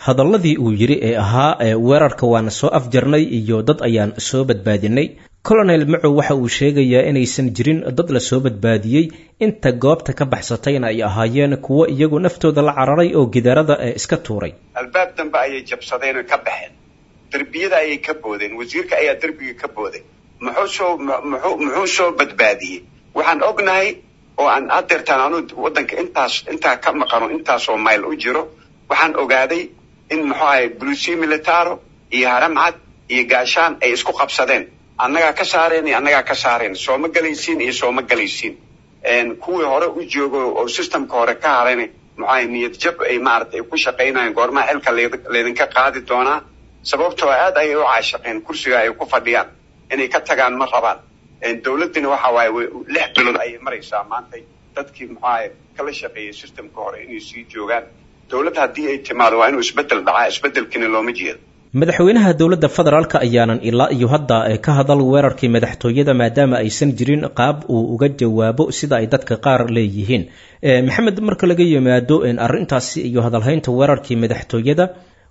I: hadalladii uu yidhi ee ahaa weerarka waana soo afjarnay iyo dad ayaan soo badbaadinay. Colonel Macow waxa uu sheegayaa inaysan jirin dad la soo badbaadiyey, inta goobta ka baxsatayna ay ahaayeen kuwo iyagu naftooda la cararay oo gidaarada ee iska tuuray.
J: Albaab dambe ayay jabsadeen oo ka baxeen, derbiyada ayay ka boodeen, wasiirka ayaa derbiga ka booday. Muxuu soo muxuu muxuu soo badbaadiyey? Waxaan ognahay oo aan hadeertaan anu waddanka intaas intaa ka maqano intaasoo mayl u jiro, waxaan ogaaday in muxuu ahay bulusi militaro iyo Haramcad iyo Gaashaan ay isku qabsadeen, annagaa ka saareen iyo annagaa ka saareen, sooma galaysiin iyo sooma galaysiin. Kuwii hore u joogo oo systemka hore ka harayna muxuu ahay niyad jab ay maaragtay ay ku shaqaynayaan, goormaha xilka laydinka qaadi doonaa, sababtoo aad ayay u caashaqeen kursiga ay ku fadhiyaan, inay ka tagaan ma rabaan. Dowladdina waxa waaye lix bilood ayay maraysaa maantay dadkii muxuu ahay kala shaqeeyey systemka hore inay sii joogaan. Dowladd haddii ay timaado waa inuu isbeddel dhacaa, isbeddelkiina looma jeedo.
I: Madaxweynaha dowladda federaalka ayaanan ilaa iyo hadda ka hadal weerarkii madaxtooyada, maadaama aysan jirin qaab uu uga jawaabo sida ay dadka qaar leeyihiin. Maxamed, marka laga yimaado arrintaasi iyo hadalhaynta weerarkii madaxtooyada,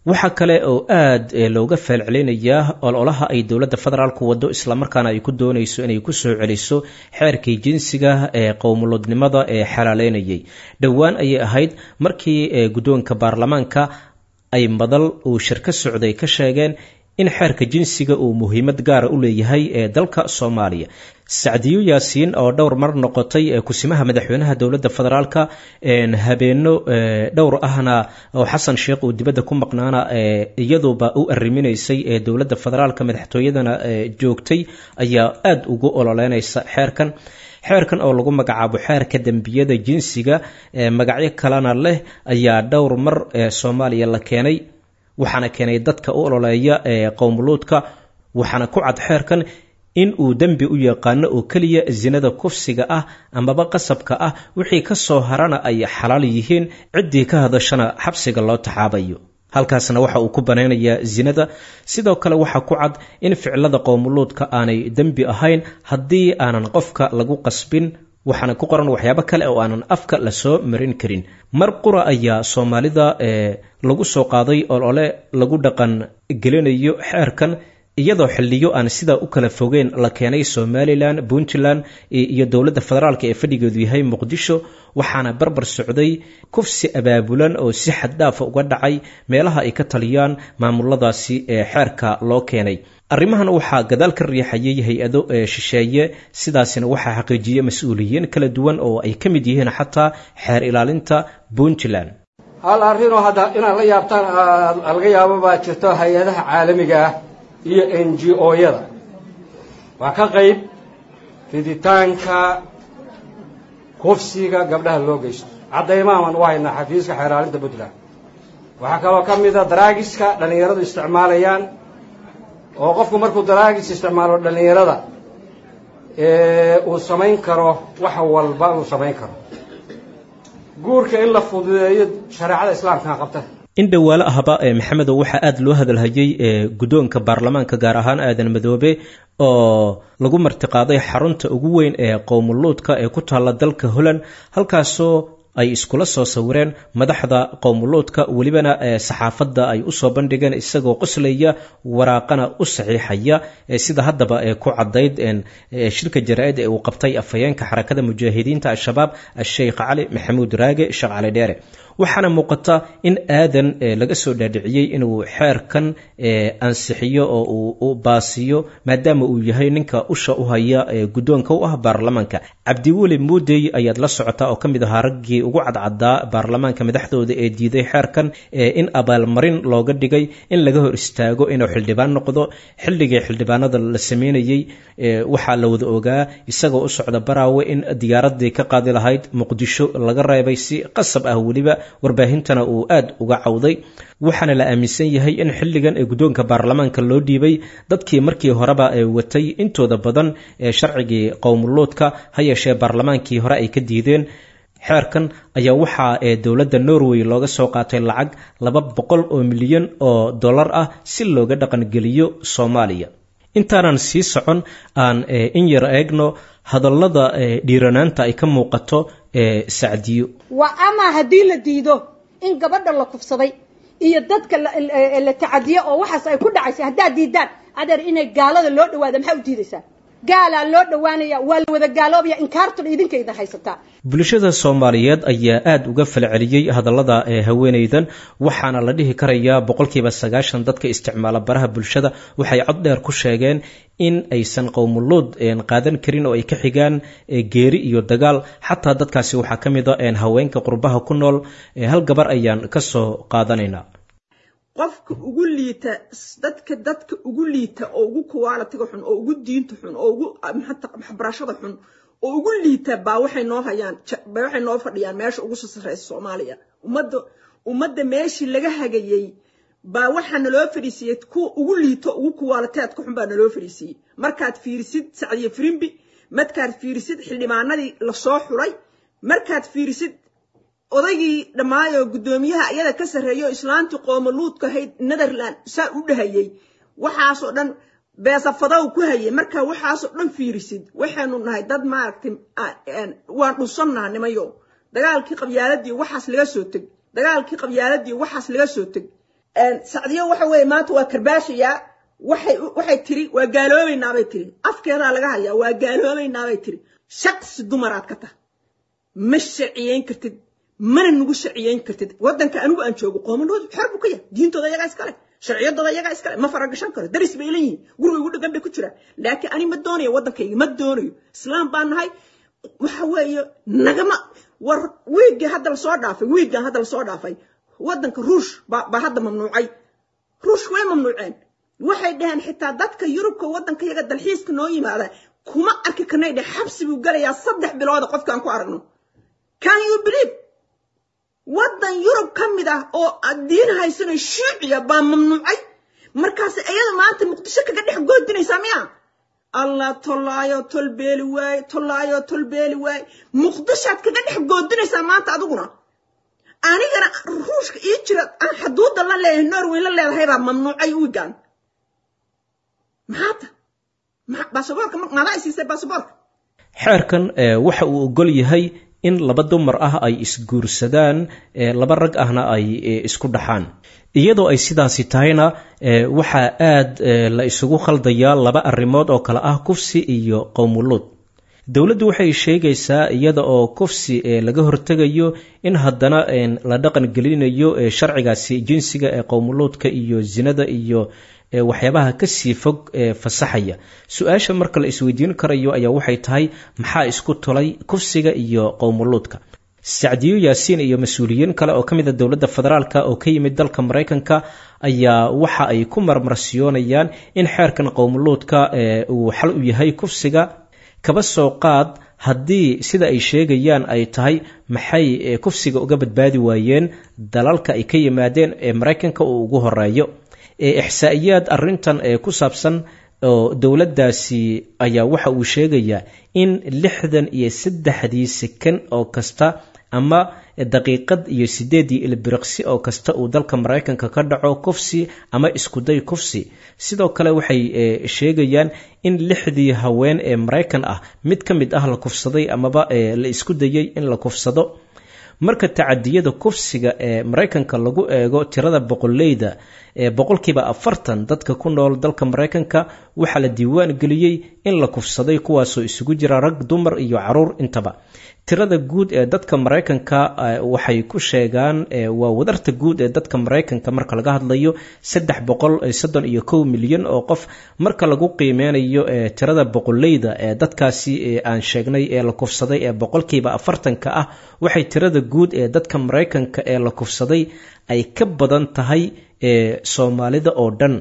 I: waxaa kale oo aad looga feelcelinayaa ololaha ay dowladda federaalku wado, islamarkaana ay ku doonayso inay ku soo celiso xeerkii jinsiga ee qowmulodnimada ee xalaaleynayay. Dhowaan ayay ahayd markii guddoonka baarlamaanka ay madal uu shir ka socday ka sheegeen in xeerka jinsiga uu muhiimad gaara u leeyahay ee dalka Soomaaliya. Sacdiyo Yaasiin oo dhowr mar noqotay kusimaha madaxweynaha dowladda federaalka, habeeno dhowr ahna oo Xasan Sheekh uu dibadda ku maqnaana iyaduuba u arriminaysay ee dowladda federaalka madaxtooyadana joogtay, ayaa aada ugu ololeynaysa xeerkan. Xeerkan oo lagu magacaabo xeerka dembiyada jinsiga, magacyo kalena leh, ayaa dhowr mar Soomaaliya la keenay, waxaana keenay dadka u ololeeya ee qowmuluudka. Waxaana ku cad xeerkan in uu dembi u yaqaano oo keliya sinada kufsiga ah amaba qasabka ah, wixii ka soo harana ay xalaal yihiin, ciddii ka hadashana xabsiga loo taxaabayo. Halkaasna waxa uu ku banaynayaa zinada. Sidoo kale waxaa ku cad in ficilada qowmuluudka aanay dembi ahayn haddii aanan qofka lagu qasbin, waxaana ku qoran waxyaabo kale oo aanan afka lasoo marin karin. Mar qura ayaa Soomaalida ee lagu soo qaaday olole lagu dhaqan gelinayo xeerkan, iyadoo xilliyo aan sidaa u kala fogeen la keenay Somalilan, Puntland iyo dowladda federaalka ee fadhigeedu yahay Muqdisho. Waxaana barbar socday kufsi abaabulan oo si xad dhaafa uga dhacay meelaha ay ka taliyaan maamuladaasi ee xeerka loo keenay. Arrimahan waxaa gadaal ka riixayay hay-ado ee shisheeye, sidaasina waxaa xaqiijiyey mas-uuliyiin kala duwan oo ay ka mid yihiin xataa xeer ilaalinta Puntland.
L: Hal arrinoo hadda inaad la yaabtaan laga yaabo baa jirto. Hay-adaha caalamiga ah iyo N G O-yada waa ka qayb fiditaanka kufsiga gabdhaha loo geysto. Caddaymahan u haynaa xafiiska xeeraalinta Puntland. Waxaa kaloo ka mid a daraagiska dhallinyaradu isticmaalayaan, oo qofku markuu daraagis isticmaalo dhallinyarada uu samayn karo wax walba uu samayn karo. Guurka in la fududeeyo shareecada Islaamkaa qabta.
I: In dhowaalo ahba ee Maxamedow, waxaa aada loo hadalhayay ee guddoonka baarlamaanka, gaar ahaan Aadan Madoobe, oo lagu martiqaaday xarunta ugu weyn ee qowmuluudka ee ku taalla dalka Holland, halkaasoo ay iskula soo sawireen madaxda qowmuluudka, welibana saxaafadda ay usoo bandhigeen isagoo qoslaya, waraaqana u saxiixaya, sida haddaba ee ku caddayd shirka jaraa-id ee uu qabtay afhayeenka Xarakada Mujaahidiinta Al-Shabaab, Asheikh Cali Maxamuud Raage, Sheekh Cali Dheere. Waxaana muuqata in Aadan laga soo dhaadhiciyey inuu xeerkan ansixiyo oo uu u baasiyo, maadaama uu yahay ninka usha u haya ee guddoonka u ah baarlamaanka. Cabdiweli Muudey ayaad la socotaa oo ka mid ahaa raggii ugu cadcaddaa baarlamaanka madaxdooda ee diiday xeerkan, in abaalmarin looga dhigay in laga hor istaago inuu xildhibaan noqdo. Xilligii xildhibaanada la sameynayey waxaa la wada ogaa isagoo u socda Baraawe in diyaaradii ka qaadi lahayd Muqdisho laga reebay si qasab ah, weliba warbaahintana uu aad uga cawday. Waxaana la aaminsan yahay in xilligan ee guddoonka baarlamaanka loo dhiibay dadkii markii horeba ee watay intooda badan ee sharcigii qowmuluudka, ha yeeshee baarlamaankii hore ay ka diideen. Xeerkan ayaa waxaa ee dowladda Norway looga soo qaatay lacag laba boqol oo milyan oo dollar ah si looga dhaqangeliyo Soomaaliya. Intaanan sii socon, aan in yar eegno hadallada dhiiranaanta ay ka muuqato ee Sacdiyo.
M: Waa ama haddii la diido in gabadha la kufsaday iyo dadka la tacadiyo oo waxaas ay ku dhacaysa, haddaad diidaan adeer inay gaalada loo dhawaado, maxaa u diidaysaa? Gaalaa loo dhawaanaya, waa la wada gaaloobaya, inkaartuna idinka idin haysataa.
I: Bulshada Soomaaliyeed ayaa aada uga falceliyey hadallada ee haweenaydan, waxaana la dhihi karayaa boqolkiiba sagaashan dadka isticmaala baraha bulshada waxay cod dheer ku sheegeen in aysan qowmuluud qaadan karin oo ay ka xigaan geeri iyo dagaal. Xataa dadkaasi waxaa ka mid a haweenka qurbaha ku nool. Hal gabar ayaan ka soo qaadanaynaa.
N: Qofka ugu liita dadka, dadka ugu liita oo ugu quality-ga xun oo ugu diinta xun oo ugu waxbarashada xun oo ugu liita baa waxay noo hayaan, baa waxay noo fadhiyaan meesha ugu soo sarreysa Soomaaliya. Ummadda ummadda meeshii laga hagayey baa waxaa naloo fadhiisiiyey kuwa ugu liito, ugu quality-ga xun baa naloo fadhiisiiyey. Markaad fiirisid Sacdiyo Firimbi, markaad fiirisid xildhibaanadii lasoo xulay, markaad fiirisid odaygii dhammaayoo guddoomiyaha iyada ka sarreeyo, islaantii qoomaluudka ahayd Netherland saa u dhahayey, waxaasoo dhan beesafadow ku hayay, marka waxaasoo dhan fiirisid, waxaynu nahay dad maaragtay waan dhunsannaha nimayo. Dagaalkii qabyaaladii waxaas laga soo teg, dagaalkii qabyaaladii waxaas laga soo teg. Sacdiyo waxa weeye maanta waa karbaashayaa. Waxay waxay tiri waa gaaloobaynaabay tiri, afkeedaa laga hayaa, waa gaaloobaynaabay tiri. Shaqsi dumaraad ka tah, ma sharciyeyn kartid, mana nagu sharciyeyn kartid. Waddanka anigu aan joogo qoomaluud xor buu ka yahay, diintooda iyagaa iskale, sharciyadooda iyagaa iskale, ma faragashan karo, daris bay leeyihiin, guriga igu dhagan bay ku jiraan. Laakiin ani ma doonayo waddankayga, ma doonayo, islaam baan nahay. Waxa weeye nagama war. Wiiggii hadda lasoo dhaafay, wiiggan hadda lasoo dhaafay, waddanka Ruush baa baa hadda mamnuucay. Ruush way mamnuuceen, waxay dhaheen xitaa dadka Yurubka waddanka yaga dalxiiska noo yimaada kuma arki karnay dheh, xabsi buu galayaa saddex bilooda qofkaan ku aragno. Can you believe? Waddan Yurub ka mid ah oo diin haysano shuuciya baa mamnuucay. Markaas iyada maanta Muqdisho kaga dhex goodinaysaa miya? Allah, tollaayo tolbeeli waaye, tollaayo tolbeeli waaye. Muqdishoaad kaga dhex goodinaysaa maanta adiguna. Anigana Ruushka ii jira aan xuduudda la leeyahay Norway la leedahay baa mamnuucay wiigan. Maxaata baasaboorka madaa isiisay baasaboorka?
I: Xeerkan waxa uu ogol yahay in laba dumar ah ay isguursadaan, laba rag ahna ay isku dhaxaan. Iyadoo ay sidaasi tahayna, waxaa aad la isugu khaldayaa laba arrimood oo kale ah kufsi iyo qowmuluud. Dowladdu waxay sheegaysaa iyada oo kufsi laga hortegayo in haddana la dhaqan gelinayo sharcigaasi jinsiga ee qowmuluudka iyo zinada iyo waxyaabaha kasii fog fasaxaya. Su-aasha marka la isweydiin karayo ayaa waxay tahay, maxaa isku tulay kufsiga iyo qowmuluudka? Sacdiyo Yaasiin iyo mas-uuliyiin kale oo ka mid a dowladda federaalka oo ka yimid dalka Maraykanka ayaa waxa ay ku marmarsiyoonayaan in xeerkan qowmuluudka uu xal u yahay kufsiga. Kaba soo qaad haddii sida ay sheegayaan ay tahay, maxay kufsiga uga badbaadi waayeen dalalka ay ka yimaadeen ee Maraykanka uu ugu horeeyo? Ixsaa'iyaad arrintan ee ku saabsan oo dowladdaasi ayaa waxa uu sheegayaa in lixdan iyo saddexdii sekan oo kasta ama daqiiqad iyo sideedii ilbiriqsi oo kasta uu dalka Maraykanka ka dhaco kufsi ama iskuday kufsi. Sidoo kale waxay sheegayaan in lixdii haween ee Maraykan ah mid ka mid ah la kufsaday amaba la isku dayay in la kufsado. Marka tacadiyada kufsiga ee Maraykanka lagu eego tirada boqoleyda, ee boqolkiiba afartan dadka ku nool dalka Maraykanka waxaa la diiwaan geliyey in la kufsaday, kuwaasoo isugu jira rag, dumar iyo caruur intaba. Tirada guud ee dadka Maraykanka waxay ku sheegaan waa wadarta guud ee dadka Maraykanka marka laga hadlayo saddex boqol soddon iyo kow milyan oo qof. Marka lagu qiimeynayo tirada boqoleyda ee dadkaasi aan sheegnay ee la kufsaday ee boqolkiiba afartanka ah, waxay tirada guud ee dadka Maraykanka ee la kufsaday ay ka badan tahay Soomaalida oo dhan,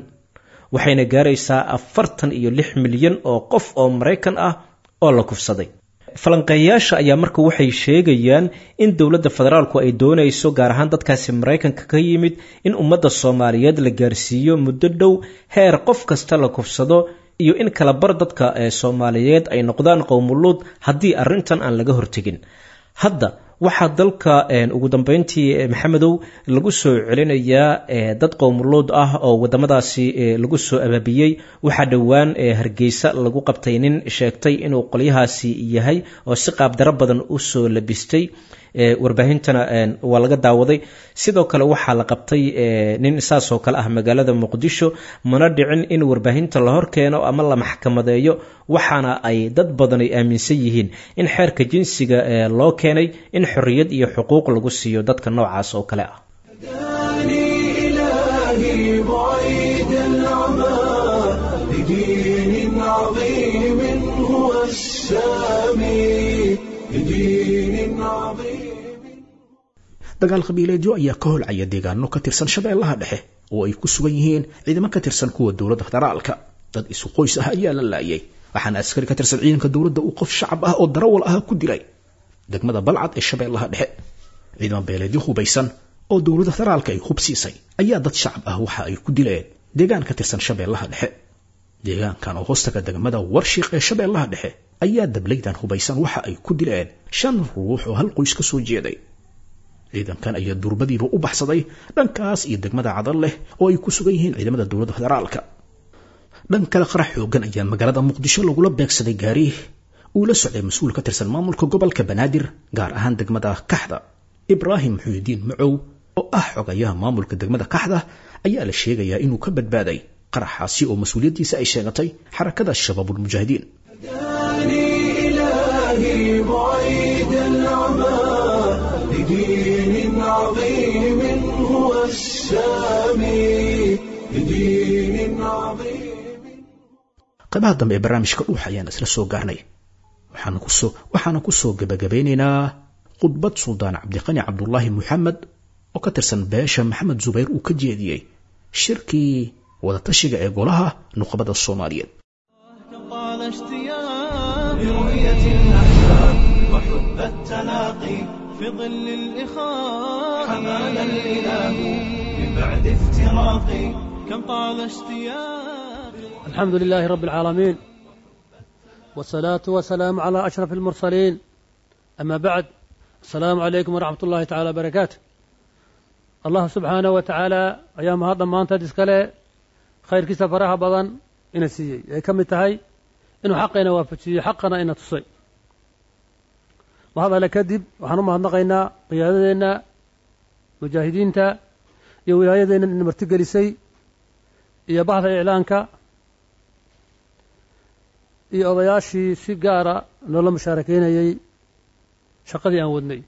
I: waxayna gaaraysaa afartan iyo lix milyan oo qof oo Maraykan ah oo la kufsaday. Falanqeeyaasha ayaa marka waxay sheegayaan in dowladda federaalku ay doonayso, gaar ahaan dadkaasi Maraykanka ka yimid, in ummadda Soomaaliyeed la gaarsiiyo muddo dhow heer qof kasta la kufsado iyo in kala bar dadka Soomaaliyeed ay noqdaan qowmuluud haddii arrintan aan laga hortegin. Hadda waxaa dalka ugu dambeyntii, Maxamedow, lagu soo celinayaa dad qowmuluud ah oo wadamadaasi lagu soo abaabiyey. Waxaa dhowaan Hargeysa lagu qabtay nin sheegtay inuu qolyahaasi yahay oo si qaabdaro badan u soo labistay, warbaahintana waa laga daawaday. Sidoo kale waxaa la qabtay nin saasoo kale ah magaalada Muqdisho, mana dhicin in warbaahinta la horkeeno ama la maxkamadeeyo. Waxaana ay dad badan ay aaminsan yihiin in xeerka jinsiga loo keenay in xorriyad iyo xuquuq lagu siiyo dadka noocaas oo kale ah.
A: إلهي بعيد العمى لدين عظيم هو السامي لدين عظيم.
B: Dagaal qabiileedyo ayaa ka holcaya deegaano ka tirsan Shabeellaha Dhexe oo ay ku sugan yihiin ciidamo ka tirsan kuwa dowladda federaalka. Dad isu qoys ah ayaa la laayay, waxaana askari ka tirsan ciidanka dowladda uu qof shacab ah oo darawal ah ku dilay degmada Balcad ee Shabeellaha Dhexe. Ciidamo beeleedyo hubaysan oo dowladda federaalka ay hub siisay ayaa dad shacab ah waxa ay ku dileen deegaan ka tirsan Shabeellaha Dhexe. Deegaankan oo hoostaga degmada Warshiiq ee Shabeellaha Dhexe ayaa dablaydan hubaysan waxa ay ku dileen shan ruux oo hal qoys ka soo jeeday. Ciidankan ayaa durbadiiba u baxsaday dhankaas iyo degmada Cadal leh oo ay ku sugan yihiin ciidamada dowladda federaalka. Dhan kale, qarax xoogan ayaa magaalada Muqdisho lagula beegsaday gaari uu la socday mas-uul ka tirsan maamulka gobolka Banaadir, gaar ahaan degmada Kaxda. Ibraahim Muxuudiin Macow oo ah xogayaha maamulka degmada Kaxda ayaa la sheegayaa inuu ka badbaaday qaraxaasi oo mas-uuliyaddiisa ay sheegatay Xarakada Shabaabulmujaahidiin.
A: إلهي بعيد العمى لدين عظيم هو السامي لدين عظيم.
B: Qaybaha dambe ee barnaamijka Dhuux ayaan isla soo gaarnay. Waxaana kusoo waxaana ku soo gebagabeynaynaa khudbad Suldaan Cabdiqani Cabdulaahi Moxamed oo ka tirsan beesha Maxamed Zubayr uu ka jeediyey shirkii wadatashiga ee golaha nuqbada Soomaaliyeed.
A: طال اشتياق لرؤية الأحباب وحب التلاقي في ظل الإخاء، حمانا الإله من بعد افتراقي، كم طال اشتياق.
O: الحمد لله رب العالمين، والصلاة والسلام على أشرف المرسلين، أما بعد، السلام عليكم ورحمة الله تعالى وبركاته. Allah subxaanahu wa tacaala ayaa mahad dhammaanteed iskale khayrkiisa faraha badan ina siiyey, ay ka mid tahay inuu xaqayna waafajiyey, xaqana ina tusay. Mahad alle kadib waxaan u mahadnaqaynaa qiyaadadeenna mujaahidiinta iyo wilaayadeenna ina martigelisay iyo bahda iclaanka iyo odayaashii si gaara noola mushaarakeynayey shaqadii aan wadnay.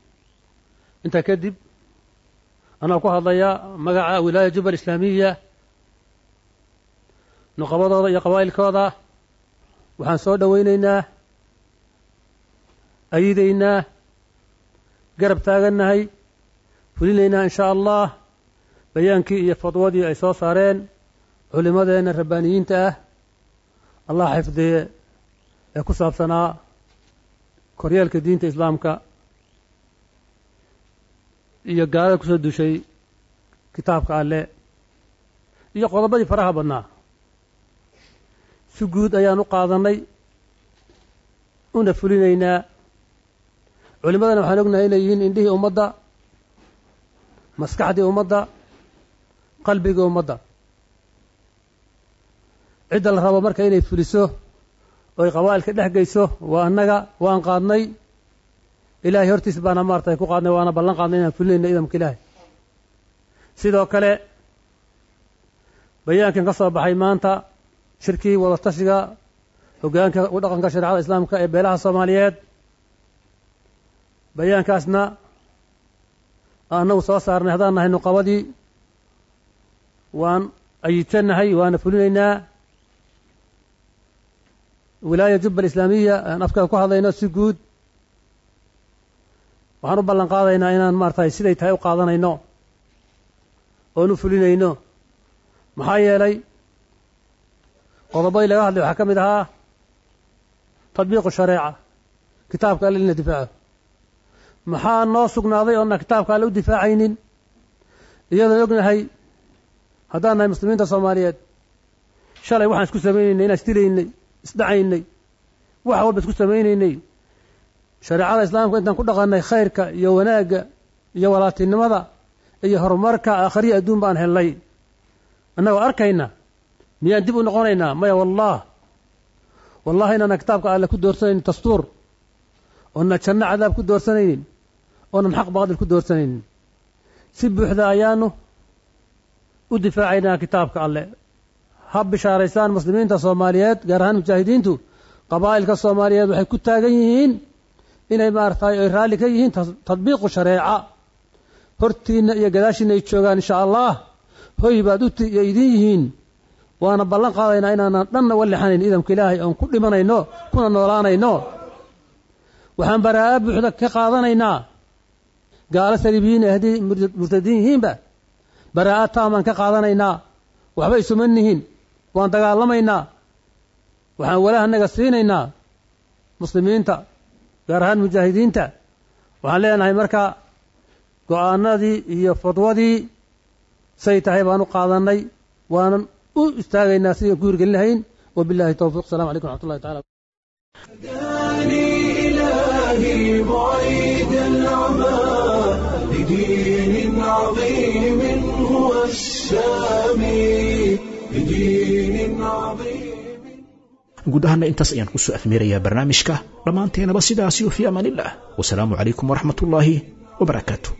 O: Intaa kadib anaa ku hadlaya magaca wilaaya jubal islaamiya, nuqabadooda iyo qabaa'ilkooda, waxaan soo dhowaynaynaa, ayidaynaa, garab taagannahay, fulinaynaa in shaa allah bayaankii iyo fadwadii ay soo saareen culimmadeenna rabbaaniyiinta ah, allah xifdiye, ee ku saabsanaa koryeelka diinta islaamka iyo gaalada kusoo dushay kitaabka alle iyo qodobadii faraha badnaa. Si guud ayaan u qaadannay una fulinaynaa. Culimmadana waxaan ognahay inay yihiin indhihii ummadda, maskaxdii ummadda, qalbigii ummadda. Cidda la rabo marka inay fuliso oo ay qabaa'ilka dhex geyso waa annaga. Waan qaadnay, ilaahay hortiis baana maartay ku qaadnay, waana ballan qaadnay inaan fulinayno idamka ilaahay. Sidoo kale bayaankan ka soo baxay maanta shirkii wadatashiga hoggaanka u dhaqanka shareecada islaamka ee beelaha soomaaliyeed, bayaankaasna annagu soo saarnay haddaan nahay nuqabadii, waan ayidsannahay waana fulinaynaa. Wilaaya jubba alislaamiya aan afkaa ku hadlayno si guud waxaan u ballan qaadaynaa inaan maaragtay siday tahay u qaadanayno oon u fulinayno. Maxaa yeelay qodobadii laga hadlay waxaa ka mid ahaa tadbiiqu shareeca, kitaabka alle in la difaaco. Maxaa noo sugnaaday oonna kitaabka alle u difaacaynin, iyadoon ognahay haddaan nahay muslimiinta soomaaliyeed shalay waxaan isku samaynaynay inaan isdilaynay, isdhacaynay, wax walba isku samaynaynay. Shareecada islaamka intaan ku dhaqannay khayrka iyo wanaagga iyo walaatinimada iyo horumarka aakhariya adduun baan helnay. Annagoo arkayna miyaan dib u noqonaynaa? Maya, wallaah wallahi inaana kitaabka alle ku doorsanaynin dastuur, oona janno cadaab ku doorsanaynin, oonan xaq baadil ku doorsanaynin. Si buuxda ayaanu u difaacaynaa kitaabka alle. Ha bishaaraysaan muslimiinta soomaaliyeed, gaar ahaan mujaahidiintu. Qabaa'ilka soomaaliyeed waxay ku taagan yihiin inay maaragtay ay raalli ka yihiin tadbiiqu shareeca. Hortiinna iyo gadaashiinna ay joogaan insha allah, hoy baad u iyo idin yihiin. Waana ballan qaadaynaa inaanan dhanna uga lexanayn idamka ilaahay, oon ku dhimanayno kuna noolaanayno. Waxaan baraa'a buuxda ka qaadanaynaa gaalo saliibiyiin haddii murtadiin yihiinba, baraa'a taamaan ka qaadanaynaa. Waxba isuma nihin, waan dagaalamaynaa. Waxaan walahanaga siinaynaa muslimiinta, gaar ahaan mujaahidiinta. Waxaan leenahay marka go'aanadii iyo fadwadii say tahay baan u qaadannay, waanan u istaagaynaa sidii ku hirgelin lahayn. Wabillahi towfiiq. Salamu calaykum waraxmatullahi tacala.
A: إلهي بعيد العمى لدين عظيم هو السامي، لدين عظيم.
B: Guud ahaana intaas ayaan kusoo afmeerayaa barnaamijka dhammaanteenaba sidaasi, fi amaanillah, wasalaamu calaykum waraxmatullaahi wabarakaatu.